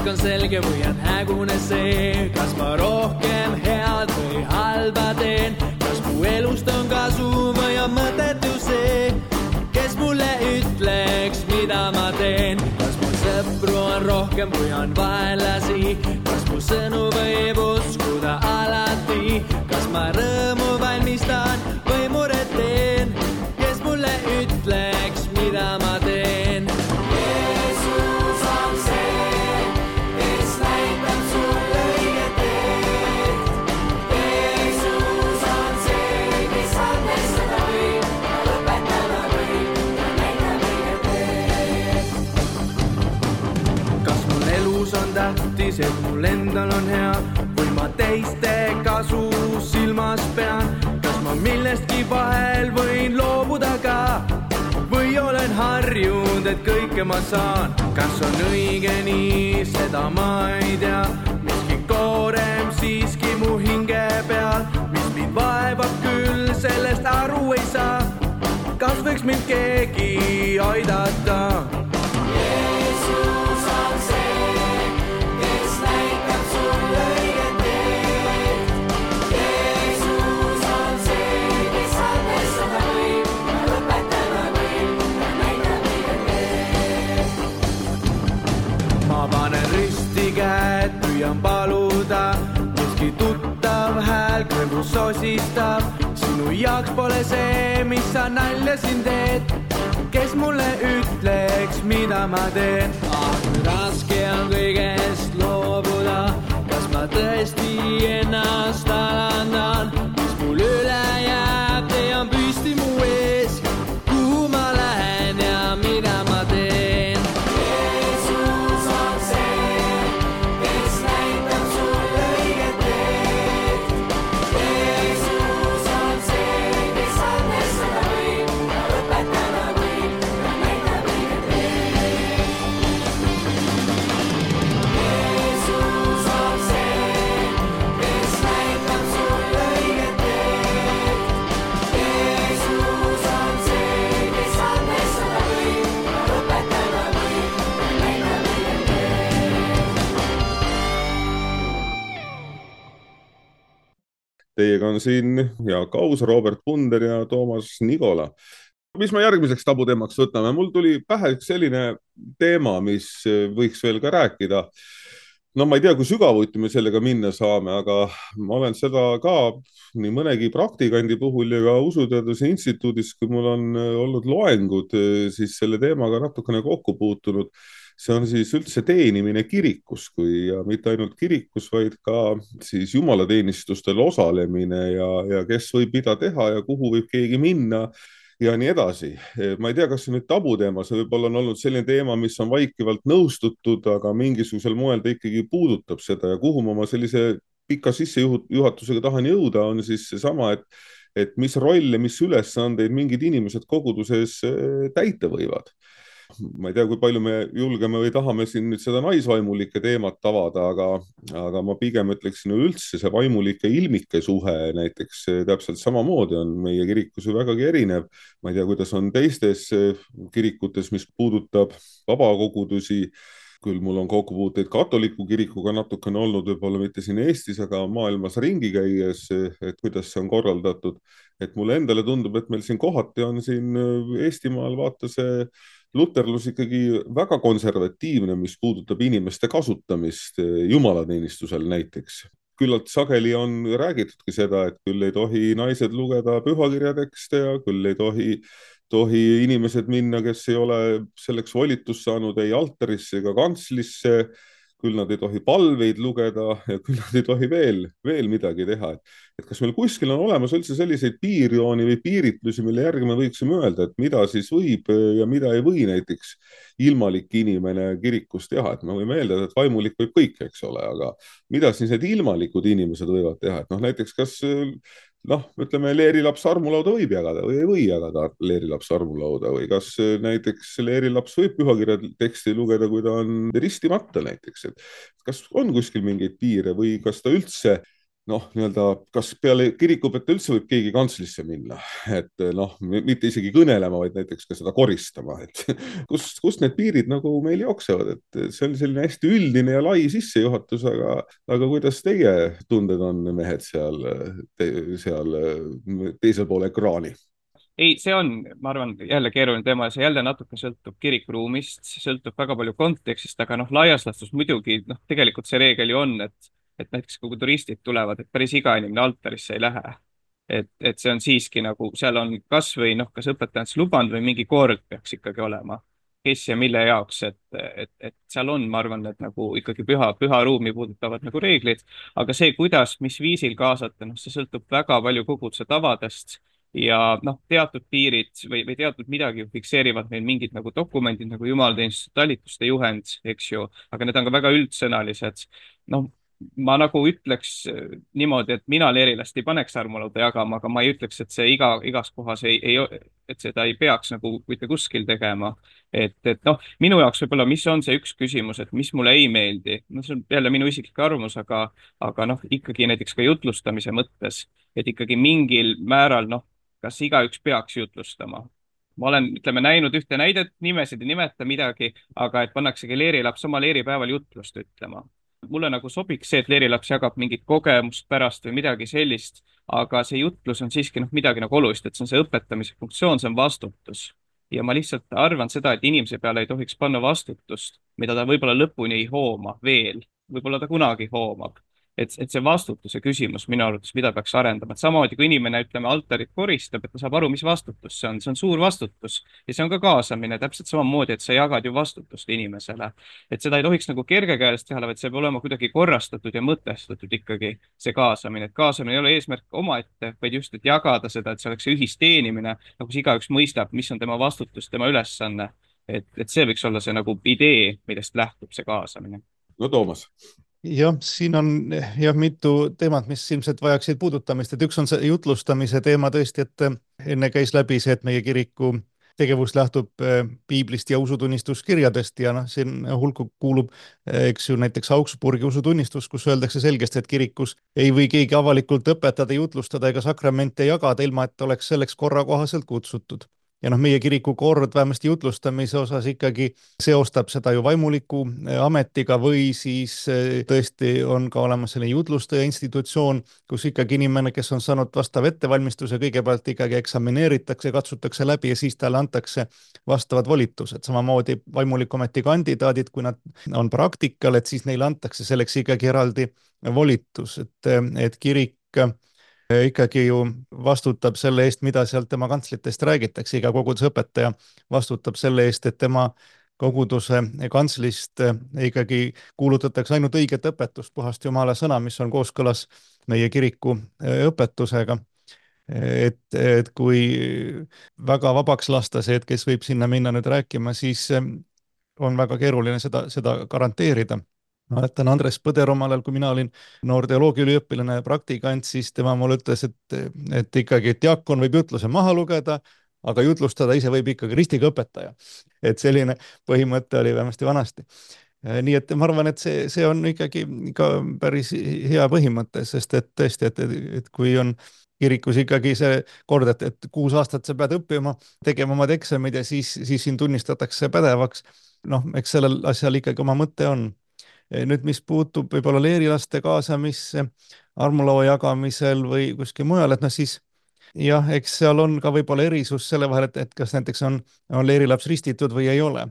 On selge või on hägune see, kas ma rohkem head või halba teen, kas mu elust on kasu või on mõtetu see, kes mulle ütleks, mida ma teen, kas mu sõpru on rohkem või on vaenlasi, kas mu sõnu võib uskuda alati, kas ma rõõmu valmistan või muret teen, siis, et mul endal on hea või ma teiste kasu silmas pean? Kas ma millestki vahel võin loobuda ka või olen harjunud, et kõike ma saan? Kas on õige nii, seda ma ei tea. Miski koorem siiski mu hinge peal, mis mind vaevab küll, sellest aru ei saa. Kas võiks mind keegi aidata? Jeesus on see, kes näitab sulle õiget teed. Jeesus on see, kes andestada võib ja lõpetada võib ja näitab õiget teed. Ma panen risti käed, püüan paluda, miski tuttav hääl kõrvus sosistab. Sinu jaoks pole see, mis sa nalja siin teed. Kes mulle ütleks, mida ma teen? Kui raske on kõigest loobuda, kas ma tõesti ennast alandan? Mis mul üle jääb, tean püsti mu ees, kuhu ma lähen ja mida ma teen. Jeesus on see, kes näitab sulle õiget teed. Jeesus on see, kes andestada võib ja lõpetada võib ja näitab õiget teed. Jeesus on see, kes näitab sulle õiget teed. Jeesus on see, kes andestada võib ja lõpetada võib ja näitab õiget teed. Teiega on siin Jaak Aus, Robert Punder ja Toomas Nigola. Mis me järgmiseks tabuteemaks võtame? Mul tuli pähe üks selline teema, mis võiks veel ka rääkida. No ma ei tea, kui sügavuti me sellega minna saame, aga ma olen seda ka nii mõnegi praktikandi puhul ja ka Usuteaduse Instituudis, kui mul on olnud loengud, siis selle teemaga natukene kokku puutunud. See on siis üldse teenimine kirikus, ja mitte ainult kirikus, vaid ka siis jumalateenistustel osalemine ja kes võib mida teha ja kuhu võib keegi minna ja nii edasi. Ma ei tea, kas see nüüd tabuteema, see võib-olla on olnud selline teema, mis on vaikivalt nõustutud, aga mingisugusel moel ta ikkagi puudutab seda ja kuhu ma oma sellise pika sissejuhatusega tahan jõuda, on siis seesama, et mis rolle, mis ülesandeid mingid inimesed koguduses täita võivad. Ma ei tea, kui palju me julgeme või tahame siin nüüd seda naisvaimulike teemat avada, aga ma pigem ütleksin üldse see vaimulike ilmike suhe näiteks täpselt samamoodi on meie kirikus ju vägagi erinev. Ma ei tea, kuidas on teistes kirikutes, mis puudutab vabakogudusi. Küll mul on kokkupuuteid katoliku kirikuga natukene olnud, võib-olla mitte siin Eestis, aga maailmas ringi käies, et kuidas see on korraldatud. Et mulle endale tundub, et meil siin kohati on siin Eestimaal vaata see luterlus ikkagi väga konservatiivne, mis puudutab inimeste kasutamist jumalateenistusel näiteks. Küllalt sageli on räägitudki seda, et küll ei tohi naised lugeda pühakirjatekste ja küll ei tohi inimesed minna, kes ei ole selleks volitust saanud ei altarisse ega kantslisse, küll nad ei tohi palveid lugeda ja küll nad ei tohi veel midagi teha. Et kas meil kuskil on olemas üldse selliseid piirjooni või piiritlusi, mille järgi me võiksime öelda, et mida siis võib ja mida ei või näiteks ilmalik inimene kirikus teha. Et me võime eeldada, et vaimulik võib kõik, eks ole, aga mida siis need ilmalikud inimesed võivad teha? Et näiteks kas ütleme, leerilaps armulauda võib jagada või ei või jagada leerilaps armulauda või kas näiteks leerilaps võib pühakirja teksti lugeda, kui ta on ristimata näiteks. Et kas on kuskil mingeid piire või kas ta üldse kas peale kirikupete üldse võib keegi kantslisse minna, et mitte isegi kõnelema, vaid näiteks ka seda koristama, et kust need piirid nagu meil jooksevad, et see on selline hästi üldine ja lai sissejuhatus, aga kuidas teie tunded on, mehed seal teisel pool ekraani? Ei, see on, ma arvan, jälle keeruline teema ja see jälle natuke sõltub kirikuruumist, sõltub väga palju kontekstist, aga laias laastus muidugi tegelikult see reegel ju on, et näiteks kui turistid tulevad, et päris iga inimene altarisse ei lähe. Et see on siiski nagu, seal on kas või kas õpetajad lubanud või mingi kord peaks ikkagi olema, kes ja mille jaoks, et seal on, ma arvan, et nagu ikkagi püha ruumi puudutavad nagu reeglid, aga see, kuidas, mis viisil kaasata, see sõltub väga palju koguduse tavadest ja noh, teatud piirid või teatud midagi fikseerivad meil mingid nagu dokumendid nagu jumalateenistuse talituste juhend, eks ju, aga need on ka väga üldsõnalised. noh, ma nagu ütleks niimoodi, et mina leerilast ei paneks armulauda jagama, aga ma ei ütleks, et see igas kohas et seda ei peaks nagu mitte kuskil tegema. Et noh, minu jaoks võib-olla, mis on see üks küsimus, et mis mulle ei meeldi, no see on jälle minu isiklik arvamus, aga noh, ikkagi näiteks ka jutlustamise mõttes, et ikkagi mingil määral noh, kas igaüks peaks jutlustama. Ma olen, ütleme, näinud ühte näidet, nimesid ei nimeta midagi, aga et pannaksegi leerilaps oma leeripäeval jutlust ütlema. Mulle nagu sobiks see, et leerilaps jagab mingit kogemust pärast või midagi sellist, aga see jutlus on siiski noh, midagi nagu olulist, et see on see õpetamise funktsioon, see on vastutus. Ja ma lihtsalt arvan seda, et inimese peale ei tohiks panna vastutust, mida ta võib-olla lõpuni ei hooma veel, võib-olla ta kunagi hoomab. Et see vastutuse küsimus minu arvates, mida peaks arendama, et samamoodi kui inimene, ütleme, altarit koristab, et ta saab aru, mis vastutus see on suur vastutus ja see on ka kaasamine täpselt samamoodi, et sa jagad ju vastutust inimesele. Et seda ei tohiks nagu kergekäelist teha, vaid see peab olema kuidagi korrastatud ja mõtestatud ikkagi see kaasamine, et kaasamine ei ole eesmärk omaette, vaid just, et jagada seda, et see oleks see ühisteenimine, nagu see igaüks mõistab, mis on tema vastutus, tema ülesanne. Et see võiks olla see nagu idee, millest lähtub see kaasamine. No Toomas. Jah, siin on jah mitu teemat, mis ilmselt vajaksid puudutamist, et üks on see jutlustamise teema tõesti, et enne käis läbi see, et meie kiriku tegevus lähtub piiblist ja usutunnistuskirjadest ja noh, siin hulku kuulub, eks ju, näiteks Augsburgi usutunnistus, kus öeldakse selgesti, et kirikus ei või keegi avalikult õpetada, jutlustada ega sakramente jagada, ilma et oleks selleks korrakohaselt kutsutud. Ja noh, meie kiriku kord vähemasti jutlustamise osas ikkagi seostab seda ju vaimuliku ametiga või siis tõesti on ka olemas selline jutlustaja institutsioon, kus ikkagi inimene, kes on saanud vastav ettevalmistuse, kõigepealt ikkagi eksamineeritakse, katsutakse läbi ja siis talle antakse vastavad volitused. Samamoodi vaimuliku ameti kandidaadid, kui nad on praktikal, et siis neile antakse selleks ikkagi eraldi volitus, et kirik ikkagi ju vastutab selle eest, mida sealt tema kantslitest räägitakse, iga koguduse õpetaja vastutab selle eest, et tema koguduse kantslist ikkagi kuulutatakse ainult õiget õpetust, puhast Jumala sõna, mis on kooskõlas meie kiriku õpetusega. Et kui väga vabaks lasta see, et kes võib sinna minna nüüd rääkima, siis on väga keeruline seda garanteerida. Ma mäletan Andres Põder omal ajal, kui mina olin noor teoloogiaüliõpilane ja praktikant, siis tema mulle ütles, et ikkagi diakon võib jutluse maha lugeda, aga jutlustada ise võib ikkagi ristiga õpetaja. Et selline põhimõte oli vähemasti vanasti. Nii et ma arvan, et see on ikkagi ka päris hea põhimõte, sest et tõesti, et kui on kirikus ikkagi see kord, et 6 aastat sa pead õppima, tegema omad eksamid ja siis sind tunnistatakse pädevaks. Noh, eks sellel asjal ikkagi oma mõte on. Nüüd, mis puutub võib-olla leerilaste kaasamisse armulaua jagamisel või kuskil mujal, et noh siis jah, eks seal on ka võib-olla erisus selle vahel, et kas näiteks on leerilaps ristitud või ei ole.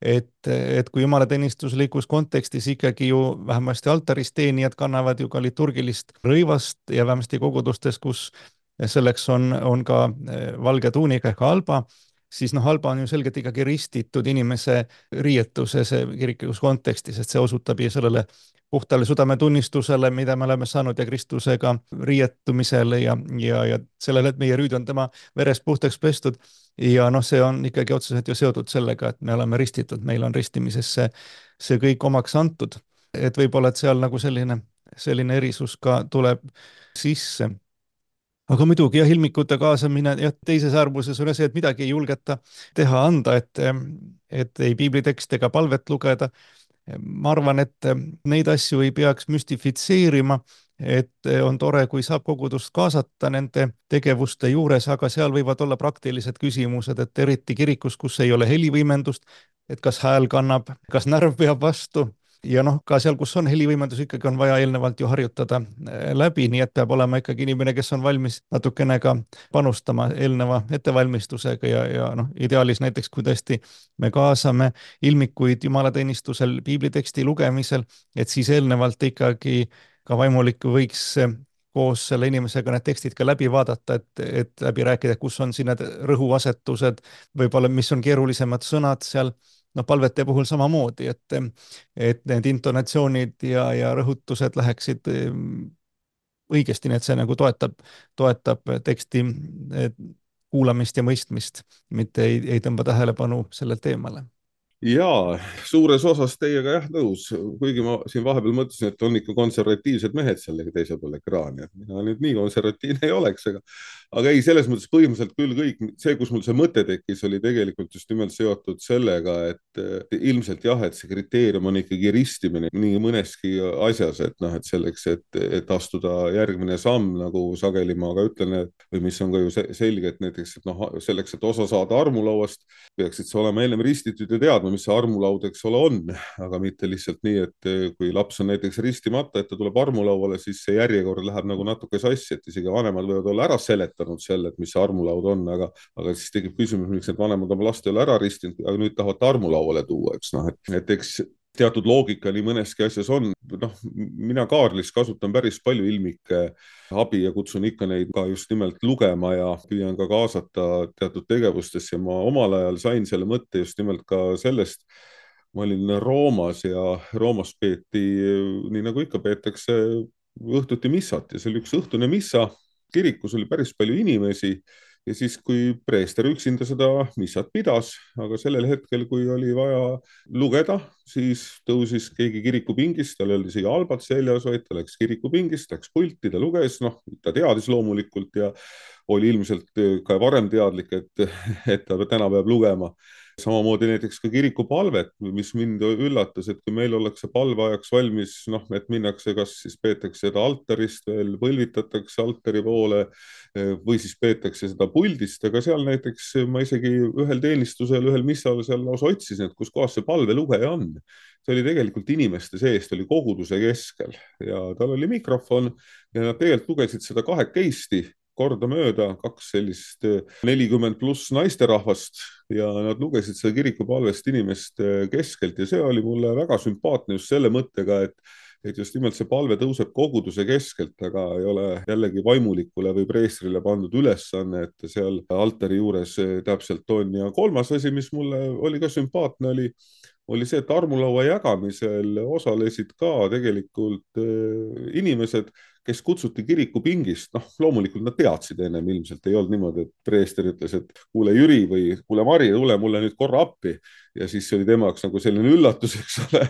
Et kui jumalateenistuslikus kontekstis ikkagi ju vähemasti altaris teenijad kannavad ju ka liturgilist rõivast ja vähemasti kogudustes, kus selleks on ka valge tuunika ehk alba, siis noh, halba on ju selgelt ikkagi ristitud inimese riietuses kiriklikus kontekstis, et see osutab ju sellele puhtale südametunnistusele, mida me oleme saanud ja Kristusega riietumisele ja sellele, et meie rüüd on tema verest puhtaks pestud. Ja noh, see on ikkagi otseselt ju seotud sellega, et me oleme ristitud, meil on ristimisesse see kõik omaks antud. Et võib-olla, et seal nagu selline erisus ka tuleb sisse. Aga muidugi jah, ilmikute kaasamine ja teises äärmuses on see, et midagi ei julgeta teha anda, et ei piiblitekst ega palvet lugeda. Ma arvan, et neid asju ei peaks müstifitseerima, et on tore, kui saab kogudust kaasata nende tegevuste juures, aga seal võivad olla praktilised küsimused, et eriti kirikus, kus ei ole helivõimendust, et kas hääl kannab, kas närv peab vastu. Ja noh, ka seal, kus on helivõimendus, ikkagi on vaja eelnevalt ju harjutada läbi, nii et peab olema ikkagi inimene, kes on valmis natukene ka panustama eelneva ettevalmistusega ja noh, ideaalis näiteks, kui tõesti me kaasame ilmikuid jumalateenistusel piibliteksti lugemisel, et siis eelnevalt ikkagi ka vaimulik võiks koos selle inimesega need tekstid ka läbi vaadata, et läbi rääkida, kus on siin need rõhuasetused, võib-olla mis on keerulisemad sõnad seal. No palvete puhul samamoodi, et need intonatsioonid ja rõhutused läheksid õigesti, nii et see nagu toetab teksti kuulamist ja mõistmist, mitte ei tõmba tähelepanu sellelt eemale. Jaa, suures osas teiega jah nõus, kuigi ma siin vahepeal mõtlesin, et on ikka konservatiivsed mehed seal teisel pool ekraani, et mina nüüd nii konservatiivne ei oleks, aga ei, selles mõttes põhimõtteliselt küll kõik see, kus mul see mõte tekkis, oli tegelikult just nimelt seotud sellega, et ilmselt jah, et see kriteerium on ikkagi ristimine nii mõneski asjas, et noh, et selleks, et astuda järgmine samm, nagu sageli ma ka ütlen, või mis on ka ju selge, et näiteks, et noh, selleks, et osa saada armulauast, peaksid sa olema ennem ristitud ja teadma, mis see armulaud, eks ole, on, aga mitte lihtsalt nii, et kui laps on näiteks ristimata, et ta tuleb armulauale, siis see järjekord läheb nagu natuke sassi, et isegi vanemad võivad olla ära seletanud selle, et mis see armulaud on, aga siis tekib küsimus, miks need vanemad oma last ei ole ära ristinud, aga nüüd tahavad armulauale tuua, eks noh, et eks teatud loogika nii mõneski asjas on. Noh, mina Kaarlis kasutan päris palju ilmike abi ja kutsun ikka neid ka just nimelt lugema ja püüan ka kaasata teatud tegevustesse. Ma omal ajal sain selle mõtte just nimelt ka sellest, ma olin Roomas ja Roomas peeti, nii nagu ikka peetakse, õhtuti missat ja see oli üks õhtune missa. Kirikus oli päris palju inimesi ja siis, kui preester üksinda seda missat pidas, aga sellel hetkel, kui oli vaja lugeda, siis tõusis keegi kirikupingist, tal oli isegi albad seljas, vaid ta läks kirikupingist, läks pulti, ta luges, noh, ta teadis loomulikult ja oli ilmselt ka varem teadlik, et ta täna peab lugema. Samamoodi näiteks ka kirikupalvet, mis mind üllatas, et kui meil ollakse palveajaks valmis, noh, et minnakse, kas siis peetakse seda altarist veel, põlvitatakse altari poole või siis peetakse seda puldist, aga seal näiteks ma isegi ühel teenistusel, ühel missal seal lausa otsisin, et kus kohas see palvelugeja on. See oli tegelikult inimeste seest, oli koguduse keskel ja tal oli mikrofon ja nad tegelikult lugesid seda kahekesti kordamööda, kaks sellist 40+ naisterahvast ja nad lugesid seda kirikupalvest inimeste keskelt ja see oli mulle väga sümpaatne just selle mõttega, et just nimelt see palve tõuseb koguduse keskelt, aga ei ole jällegi vaimulikule või preestrile pandud ülesanne, et seal altari juures täpselt on. Ja kolmas asi, mis mulle oli ka sümpaatne, oli see, et armulaua jagamisel osalesid ka tegelikult inimesed, kes kutsuti kirikupingist. Noh, loomulikult nad teadsid ennem, ilmselt ei olnud niimoodi, et preester ütles, et kuule Jüri või kuule Mari, tule mulle nüüd korra appi. Ja siis oli temaks nagu selline üllatus, eks ole,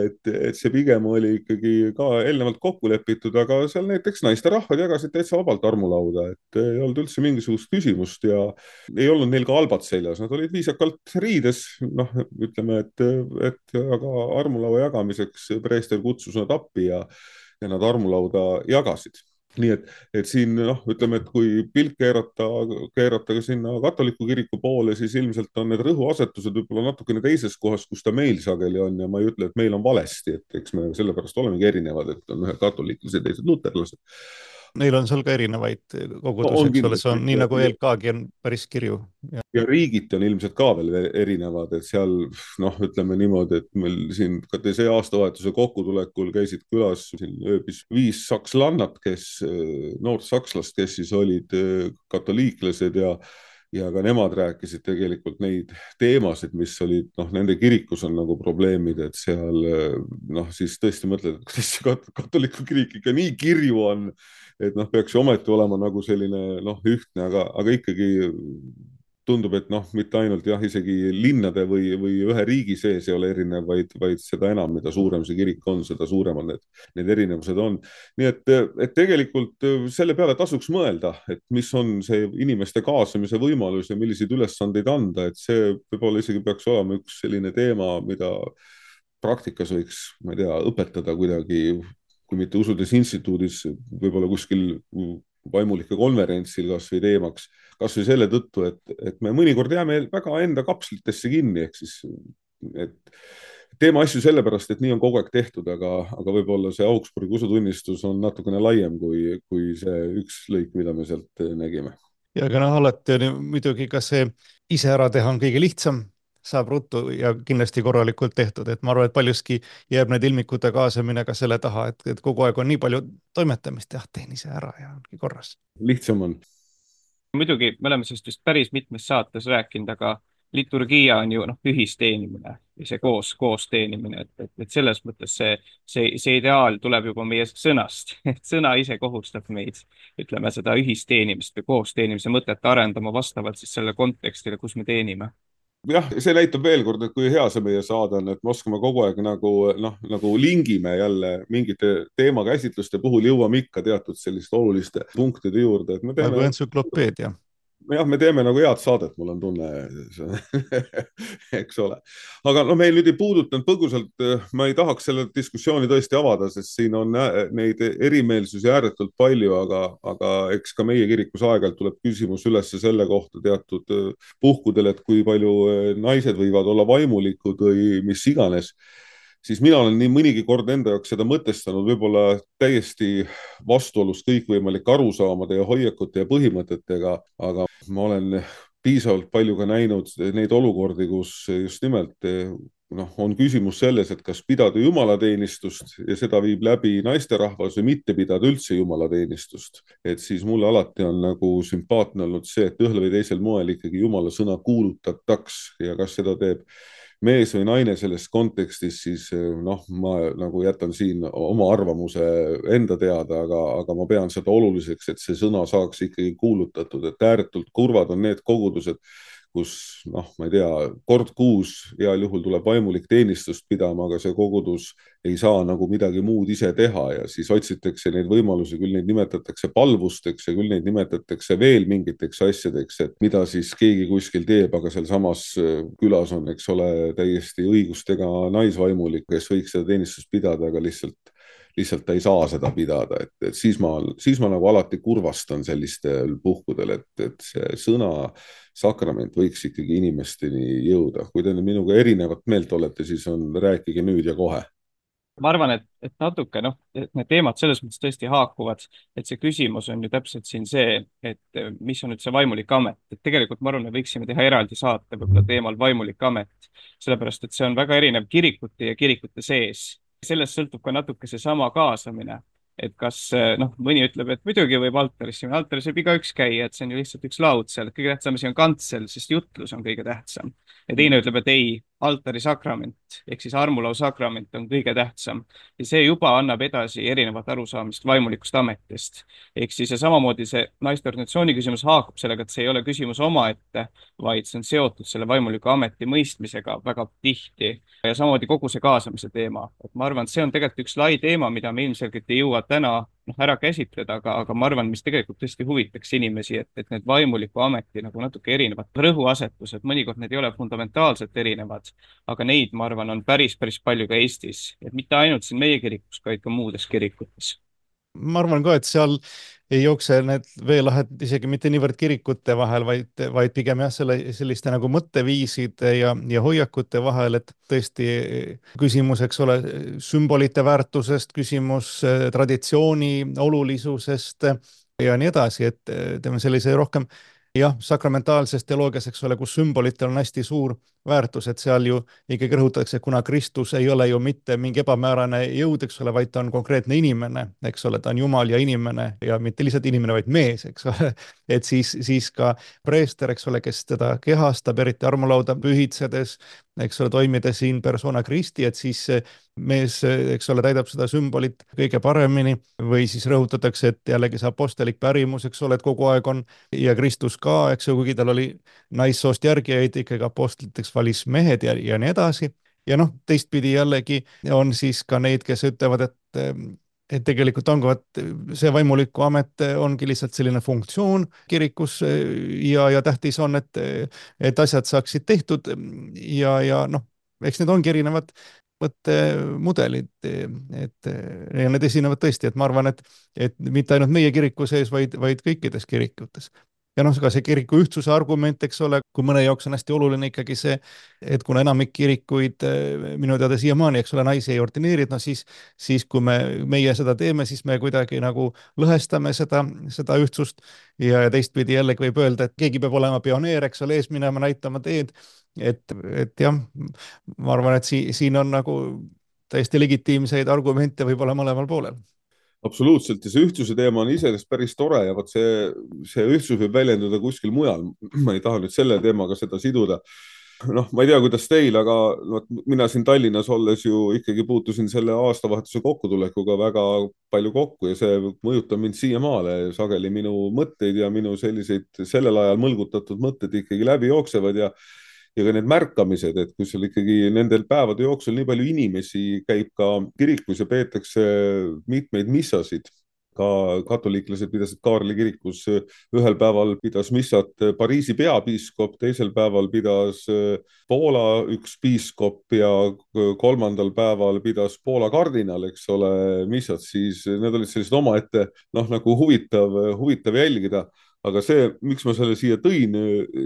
et see pigem oli ikkagi ka eelnevalt kokku lepitud, aga seal näiteks naisterahvad jagasid täitsa vabalt armulauda, et ei olnud üldse mingisugust küsimust ja ei olnud neil ka albad seljas, nad olid viisakalt riides, noh, ütleme, et aga armulaua jagamiseks preester kutsus nad appi ja nad armulauda jagasid. Nii et siin, noh, ütleme, et kui pilk keerata ka sinna katoliku kiriku poole, siis ilmselt on need rõhuasetused võib-olla natukene teises kohas, kus ta meil sageli on ja ma ei ütle, et meil on valesti, et eks me sellepärast olemegi erinevad, et on ühed katoliiklased, teised luterlased. Neil on seal ka erinevaid kogudusi, eks ole, see on nii nagu ELK-gi on päris kirju. Ja riigiti on ilmselt ka veel erinevad, et seal, noh, ütleme niimoodi, et meil siin ka see aastavahetuse kokkutulekul käisid külas siin ööbis 5 sakslannat, noort sakslast, kes siis olid katoliiklased ja ka nemad rääkisid tegelikult neid teemasid, mis olid, noh, nende kirikus on nagu probleemid, et seal, noh, siis tõesti mõtled, et kuidas see katoliku kirik ikka nii kirju on, et noh, peaks ju ometi olema nagu selline, noh, ühtne, aga ikkagi tundub, et noh, mitte ainult jah, isegi linnade või ühe riigi sees ei ole erinev, vaid seda enam, mida suurem see kirik on, seda suuremad need erinevused on. Nii et tegelikult selle peale tasuks mõelda, et mis on see inimeste kaasamise võimalus ja milliseid ülesandeid anda, et see võib-olla isegi peaks olema üks selline teema, mida praktikas võiks, ma ei tea, õpetada kuidagi, kui mitte usudes instituudis, võib-olla kuskil vaimulike konverentsil kas või teemaks, kas või selle tõttu, et me mõnikord jääme väga enda kapslitesse kinni, ehk siis et teeme asju sellepärast, et nii on kogu aeg tehtud, aga võib-olla see Augsburgi usutunnistus on natukene laiem kui see üks lõik, mida me sealt nägime. Ja aga noh, alati on muidugi ka see ise ära teha on kõige lihtsam, saab ruttu ja kindlasti korralikult tehtud, et ma arvan, et paljuski jääb need ilmikute kaasamine ka selle taha, et kogu aeg on nii palju toimetamist, jah, teen ise ära ja ongi korras. Lihtsam on. Muidugi me oleme sellest vist päris mitmes saates rääkinud, aga liturgia on ju ühisteenimine ja see koos teenimine, et selles mõttes see ideaal tuleb juba meie sõnast, et sõna ise kohustab meid, ütleme seda ühisteenimist või koosteenimise mõtet arendama vastavalt siis selle kontekstile, kus me teenime. Jah, see näitab veel kord, et kui hea see meie saade on, et me oskame kogu aeg nagu lingime jälle mingite teemakäsitluste puhul jõuame ikka teatud selliste oluliste punktide juurde, et me teeme nagu entsüklopeedia. Jah, me teeme nagu head saadet, mul on tunne, eks ole. Aga meil nüüd ei puudutanud põgusalt, ma ei tahaks selle diskussiooni tõesti avada, sest siin on neid erimeelsusi ääretult palju, aga eks ka meie kirikus aeg-ajalt tuleb küsimus üles selle kohta teatud puhkudel, et kui palju naised võivad olla vaimulikud või mis iganes. Siis mina olen nii mõnigi kord enda jaoks seda mõtestanud võib-olla täiesti vastuolus kõikvõimalike arusaamade ja hoiakute ja põhimõtetega, aga ma olen piisavalt palju ka näinud neid olukordi, kus just nimelt on küsimus selles, et kas pidada jumalateenistust ja seda viib läbi naisterahvas või mitte pidada üldse jumalateenistust. Et siis mulle alati on nagu sümpaatne olnud see, et ühel või teisel moel ikkagi jumala sõna kuulutataks ja kas seda teeb mees või naine selles kontekstis, siis ma nagu jätan siin oma arvamuse enda teada, aga ma pean seda oluliseks, et see sõna saaks ikkagi kuulutatud, et ääretult kurvad on need kogudused, kus ma ei tea, kord kuus heal juhul tuleb vaimulik teenistust pidama, aga see kogudus ei saa nagu midagi muud ise teha ja siis otsitakse neid võimalusi, küll neid nimetatakse palvusteks ja küll neid nimetatakse veel mingiteks asjadeks, et mida siis keegi kuskil teeb, aga seal samas külas on, eks ole, täiesti õigustega naisvaimulik, kes võiks seda teenistust pidada, aga lihtsalt ta ei saa seda pidada, et siis ma nagu alati kurvastan sellistel puhkudel, et see sõna sakrament võiks ikkagi inimesteni jõuda. Kui te minuga erinevat meelt olete, siis rääkige nüüd ja kohe. Ma arvan, et natuke, et need teemad selles mõttes tõesti haakuvad, et see küsimus on ju täpselt siin see, et mis on nüüd see vaimulik amet, et tegelikult ma arvan, me võiksime teha eraldi saate võib-olla teemal vaimulik amet, sellepärast et see on väga erinev kirikute ja kirikute sees. Sellest sõltub ka natuke seesama kaasamine, et kas mõni ütleb, et muidugi võib altaris võib igaüks käia, et see on ju lihtsalt üks laud seal, et kõige tähtsam asi on kantsel, sest jutlus on kõige tähtsam. Ja teine ütleb, et ei, altari sakrament ehk siis armulau sakrament on kõige tähtsam ja see juba annab edasi erinevat arusaamist vaimulikust ametist. Ehk siis ja samamoodi see naisteorganisatsiooni küsimus haakub sellega, et see ei ole küsimus omaette, vaid see on seotud selle vaimuliku ameti mõistmisega väga tihti ja samamoodi kogu see kaasamise teema. Et ma arvan, et see on tegelikult üks lai teema, mida me ilmselgelt ei jõua täna ära käsitleda, aga ma arvan, mis tegelikult tõesti huvitaks inimesi, et need vaimuliku ameti nagu natuke erinevad rõhuasetused, mõnikord need ei ole fundamentaalselt erinevad, aga neid, ma arvan, on päris palju ka Eestis, et mitte ainult siin meie kirikus, vaid ka muudes kirikutes. Ma arvan ka, et seal ei jookse need veelahed isegi mitte niivõrd kirikute vahel, vaid pigem jah, selliste nagu mõtteviiside ja hoiakute vahel, et tõesti küsimus, eks ole, sümbolite väärtusest, küsimus traditsiooni olulisusest ja nii edasi, et teeme sellise rohkem jah, sakramentaalses teoloogias, eks ole, kus sümbolitel on hästi suur väärtus, et seal ju ikkagi rõhutatakse, et kuna Kristus ei ole ju mitte mingi ebamäärane jõud, eks ole, vaid ta on konkreetne inimene, eks ole, ta on Jumal ja inimene ja mitte lihtsalt inimene, vaid mees, eks ole, et siis ka preester, eks ole, kes teda kehastab, eriti armulauda pühitsedes, eks ole, toimides in persona Christi, et siis mees, eks ole, täidab seda sümbolit kõige paremini või siis rõhutatakse, et jällegi see apostelik pärimus, eks ole, et kogu aeg on ja Kristus ka, eks ju, kuigi tal oli naissoost järgijaid, ikkagi apostliteks valis mehed ja nii edasi. Ja teistpidi jällegi on siis ka neid, kes ütlevad, et tegelikult ongi, et see vaimuliku amet ongi lihtsalt selline funktsioon kirikus ja tähtis on, et asjad saaksid tehtud ja eks need ongi erinevad mõttemudelid, et need esinevad tõesti, et ma arvan, et mitte ainult meie kiriku sees, vaid kõikides kirikutes. Ja ka see kiriku ühtsuse argument, eks ole, kui mõne jaoks on hästi oluline ikkagi see, et kuna enamik kirikuid minu teada siiamaani, eks ole, naisi ei ordineerid, siis kui meie seda teeme, siis me kuidagi nagu lõhestame seda ühtsust ja teistpidi jällegi võib öelda, et keegi peab olema pioneer, eks ole, ees minema, näitama teed, et jah, ma arvan, et siin on nagu täiesti legitiimseid argumente võib-olla mõlemal poolel. Absoluutselt ja see ühtsuse teema on iseenesest päris tore ja see ühtsus võib väljenduda kuskil mujal. Ma ei taha nüüd selle teemaga seda siduda, noh, ma ei tea, kuidas teil, aga mina siin Tallinnas olles ju ikkagi puutusin selle aastavahetuse kokkutulekuga väga palju kokku ja see mõjutab mind siiamaale. Sageli minu mõtteid ja minu selliseid sellel ajal mõlgutatud mõtted ikkagi läbi jooksevad ja ka need märkamised, et kui seal ikkagi nendel päevade jooksul nii palju inimesi käib ka kirikus ja peetakse mitmeid missasid. Ka katoliiklased pidasid Kaarli kirikus, ühel päeval pidas missat Pariisi peapiiskop, teisel päeval pidas Poola üks piiskop ja kolmandal päeval pidas Poola kardinal, eks ole, missat, siis need olid sellised omaette, noh, nagu huvitav jälgida. Aga see, miks ma selle siia tõin,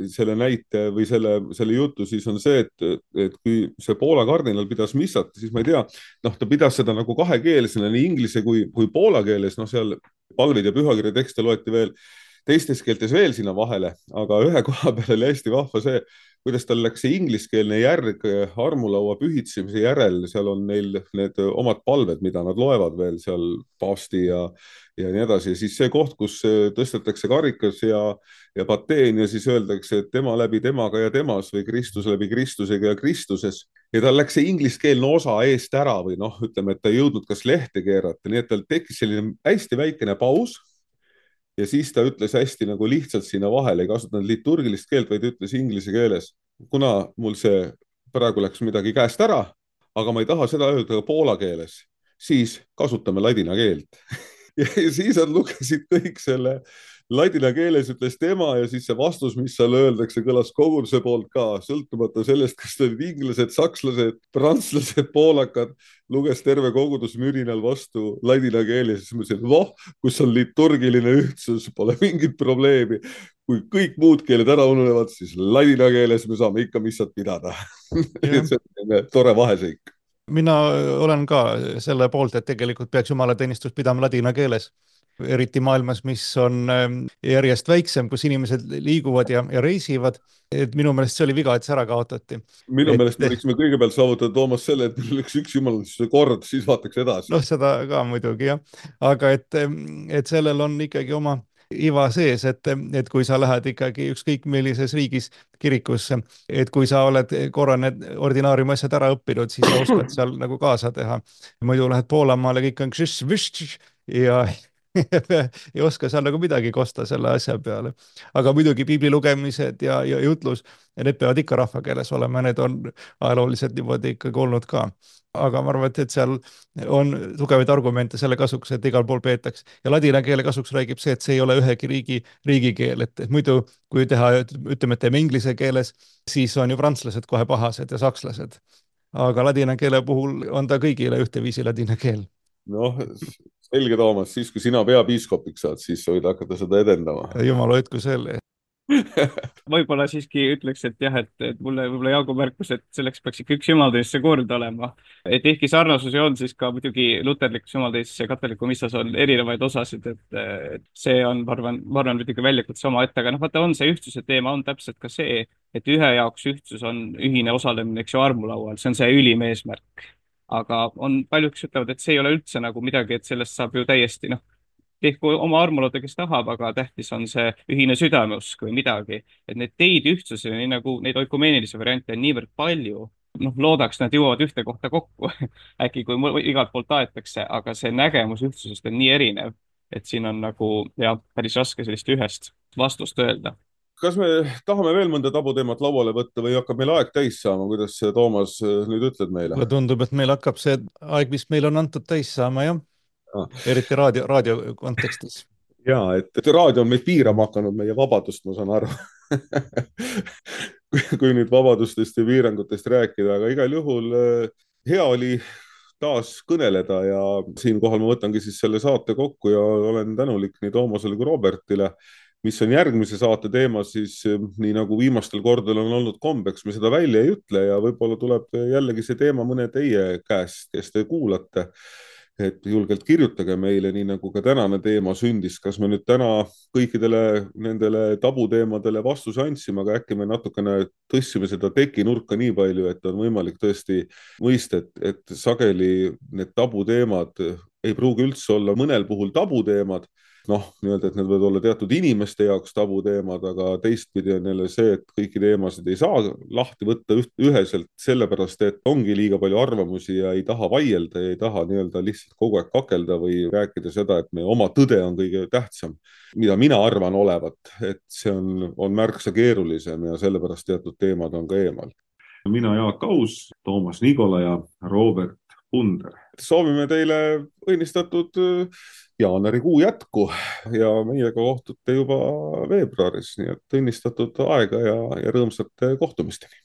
selle näite või selle jutu, siis on see, et kui see Poola kardinal pidas missat, siis ma ei tea, noh, ta pidas seda nagu kahekeelsena nii inglise kui poola keeles, noh, seal palvid ja pühakirja tekste loeti veel teistes keeltes veel sinna vahele, aga ühe koha peal oli hästi vahva see, kuidas tal läks see ingliskeelne järg armulaua pühitsemise järel, seal on neil need omad palved, mida nad loevad veel seal paavsti ja nii edasi. Siis see koht, kus tõstetakse karikas ja pateen ja siis öeldakse, et tema läbi temaga ja temas või Kristus läbi Kristusega ja Kristuses. Ja tal läks see ingliskeelne osa eest ära või noh, ütleme, et ta ei jõudnud kas lehte keerata, nii et tal tekkis selline hästi väikene paus. Ja siis ta ütles hästi nagu lihtsalt sinna vahele, ei kasutanud liturgilist keelt, vaid ütles inglise keeles. Kuna mul see praegu läks midagi käest ära, aga ma ei taha seda öelda ka poola keeles, siis kasutame ladina keelt. Ja siis nad lugesid kõik selle ladina keeles, ütles tema ja siis see vastus, mis seal öeldakse, kõlas koguduse poolt ka, sõltumata sellest, kas olid inglased, sakslased, prantslased, poolakad, luges terve kogudus mürinal vastu ladina keeles. Siis ma ütlesin, kus on liturgiline ühtsus, pole mingit probleemi. Kui kõik muud keeled ära ununevad, siis ladina keeles me saame ikka missat pidada. See on tore vaheseik. Mina olen ka selle poolt, et tegelikult peaks jumalateenistus pidama ladina keeles. Eriti maailmas, mis on järjest väiksem, kus inimesed liiguvad ja reisivad. Et minu meelest see oli viga, et see ära kaotati. Minu meelest me võiksime kõigepealt saavutada Toomas selle, et meil oleks üks jumalateenistuse kord, siis vaataks edasi. Noh, seda ka muidugi, jah. Aga et sellel on ikkagi oma iva sees, et kui sa lähed ikkagi ükskõik millises riigis kirikusse, et kui sa oled korra need ordinaariumi asjad ära õppinud, siis sa oskad seal nagu kaasa teha. Muidu lähed Poolamaale, kõik on ja ei oska seal nagu midagi kosta selle asja peale. Aga muidugi piibli lugemised ja jutlus, ja need peavad ikka rahvakeeles olema, need on ajalooliselt niimoodi ikkagi olnud ka. Aga ma arvan, et seal on tugevaid argumente selle kasuks, et igal pool peetaks. Ja ladina keele kasuks räägib see, et see ei ole ühegi riigikeel, et muidu kui teha, ütleme, et teeme inglise keeles, siis on ju prantslased kohe pahased ja sakslased. Aga ladina keele puhul on ta kõigile ühteviisi ladina keel. Noh, selge Toomas, siis kui sina peapiiskopiks saad, siis võid hakata seda edendama. Jumal hoidku selle. Võib-olla siiski ütleks, et jah, et mulle võib-olla Jaagu märkus, et selleks peaks ikka üks jumalateenistuse kord olema. Et ehkki sarnasusi on, siis ka muidugi luterlikus jumalateenistus ja katoliku missas on erinevaid osasid, et see on, ma arvan, muidugi väljakutse oma ette, aga noh, vaata, on see ühtsuse teema, on täpselt ka see, et ühe jaoks ühtsus on ühine osalemine, eks ju, armulaual, see on see ülim eesmärk. Aga on paljud, kes ütlevad, et see ei ole üldse nagu midagi, et sellest saab ju täiesti, noh, tehku oma armulauda, kes tahab, aga tähtis on see ühine südameusk või midagi. Et need teid ühtsusele, nii nagu neid oikumeenilisi variante on niivõrd palju, noh, loodaks, nad jõuavad ühte kohta kokku. Äkki kui igalt poolt aetakse, aga see nägemus ühtsusest on nii erinev, et siin on nagu, jah, päris raske sellist ühest vastust öelda. Kas me tahame veel mõnda tabuteemat lauale võtta või hakkab meil aeg täis saama? Kuidas Toomas nüüd ütled meile? Tundub, et meil hakkab see aeg, mis meil on antud täis saama, jah. Eriti raadio kontekstis. Jaa, et raadio on meid piirama hakanud, meie vabadust, ma saan aru. kui nüüd vabadustest ja piirangutest rääkida, aga igal juhul hea oli taas kõneleda ja siinkohal ma võtangi siis selle saate kokku ja olen tänulik nii Toomasele kui Robertile. Mis on järgmise saate teema, siis nii nagu viimastel kordadel on olnud kombeks, me seda välja ei ütle ja võib-olla tuleb jällegi see teema mõne teie käest, kes te kuulate. Et julgelt kirjutage meile, nii nagu ka tänane teema sündis, kas me nüüd täna kõikidele nendele tabuteemadele vastuse andsime, aga äkki me natukene tõstsime seda tekinurka nii palju, et on võimalik tõesti mõista, et sageli need tabuteemad ei pruugi üldse olla mõnel puhul tabuteemad, nii-öelda, et need võivad olla teatud inimeste jaoks tabuteemad, aga teistpidi on jälle see, et kõiki teemasid ei saa lahti võtta üheselt sellepärast, et ongi liiga palju arvamusi ja ei taha vaielda ja ei taha nii-öelda lihtsalt kogu aeg kakelda või rääkida seda, et meie oma tõde on kõige tähtsam, mida mina arvan olevat, et see on märksa keerulisem ja sellepärast teatud teemad on ka eemal. Mina Jaak Aus, Toomas Nigola ja Robert Punder. Soovime teile õnnistatud jaanuarikuu jätku ja meiega kohtute juba veebruaris, nii et õnnistatud aega ja rõõmsate kohtumisteni.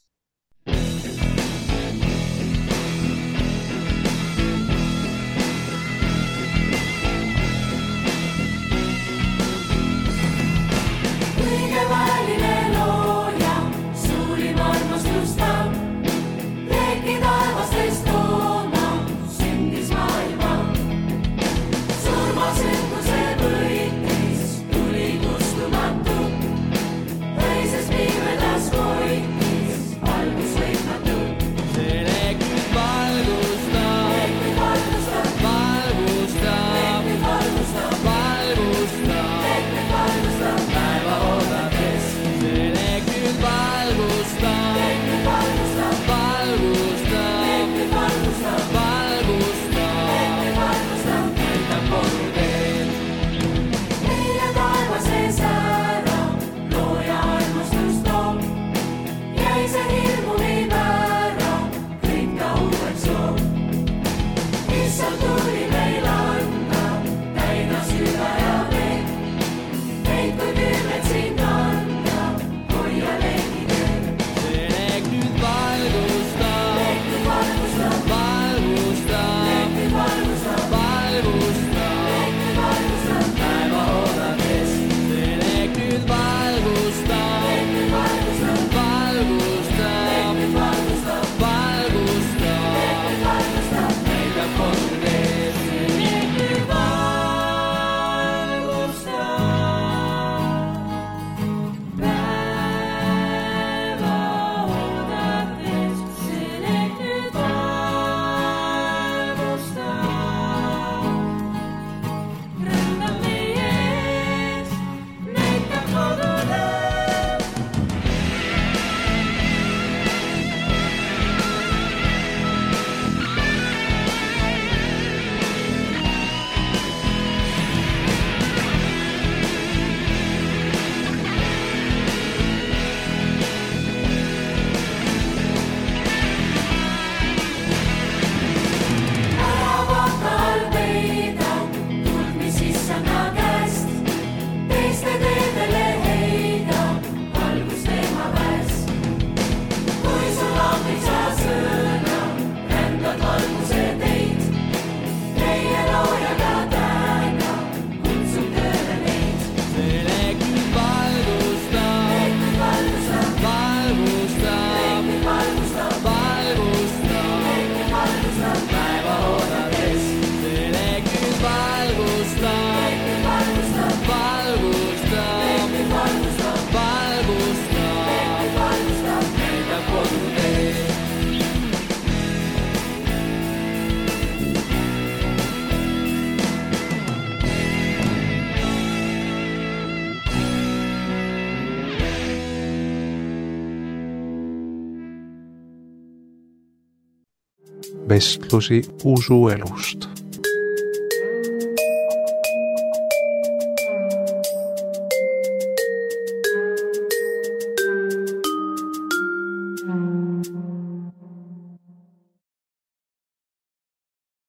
Vestlusi usuelust.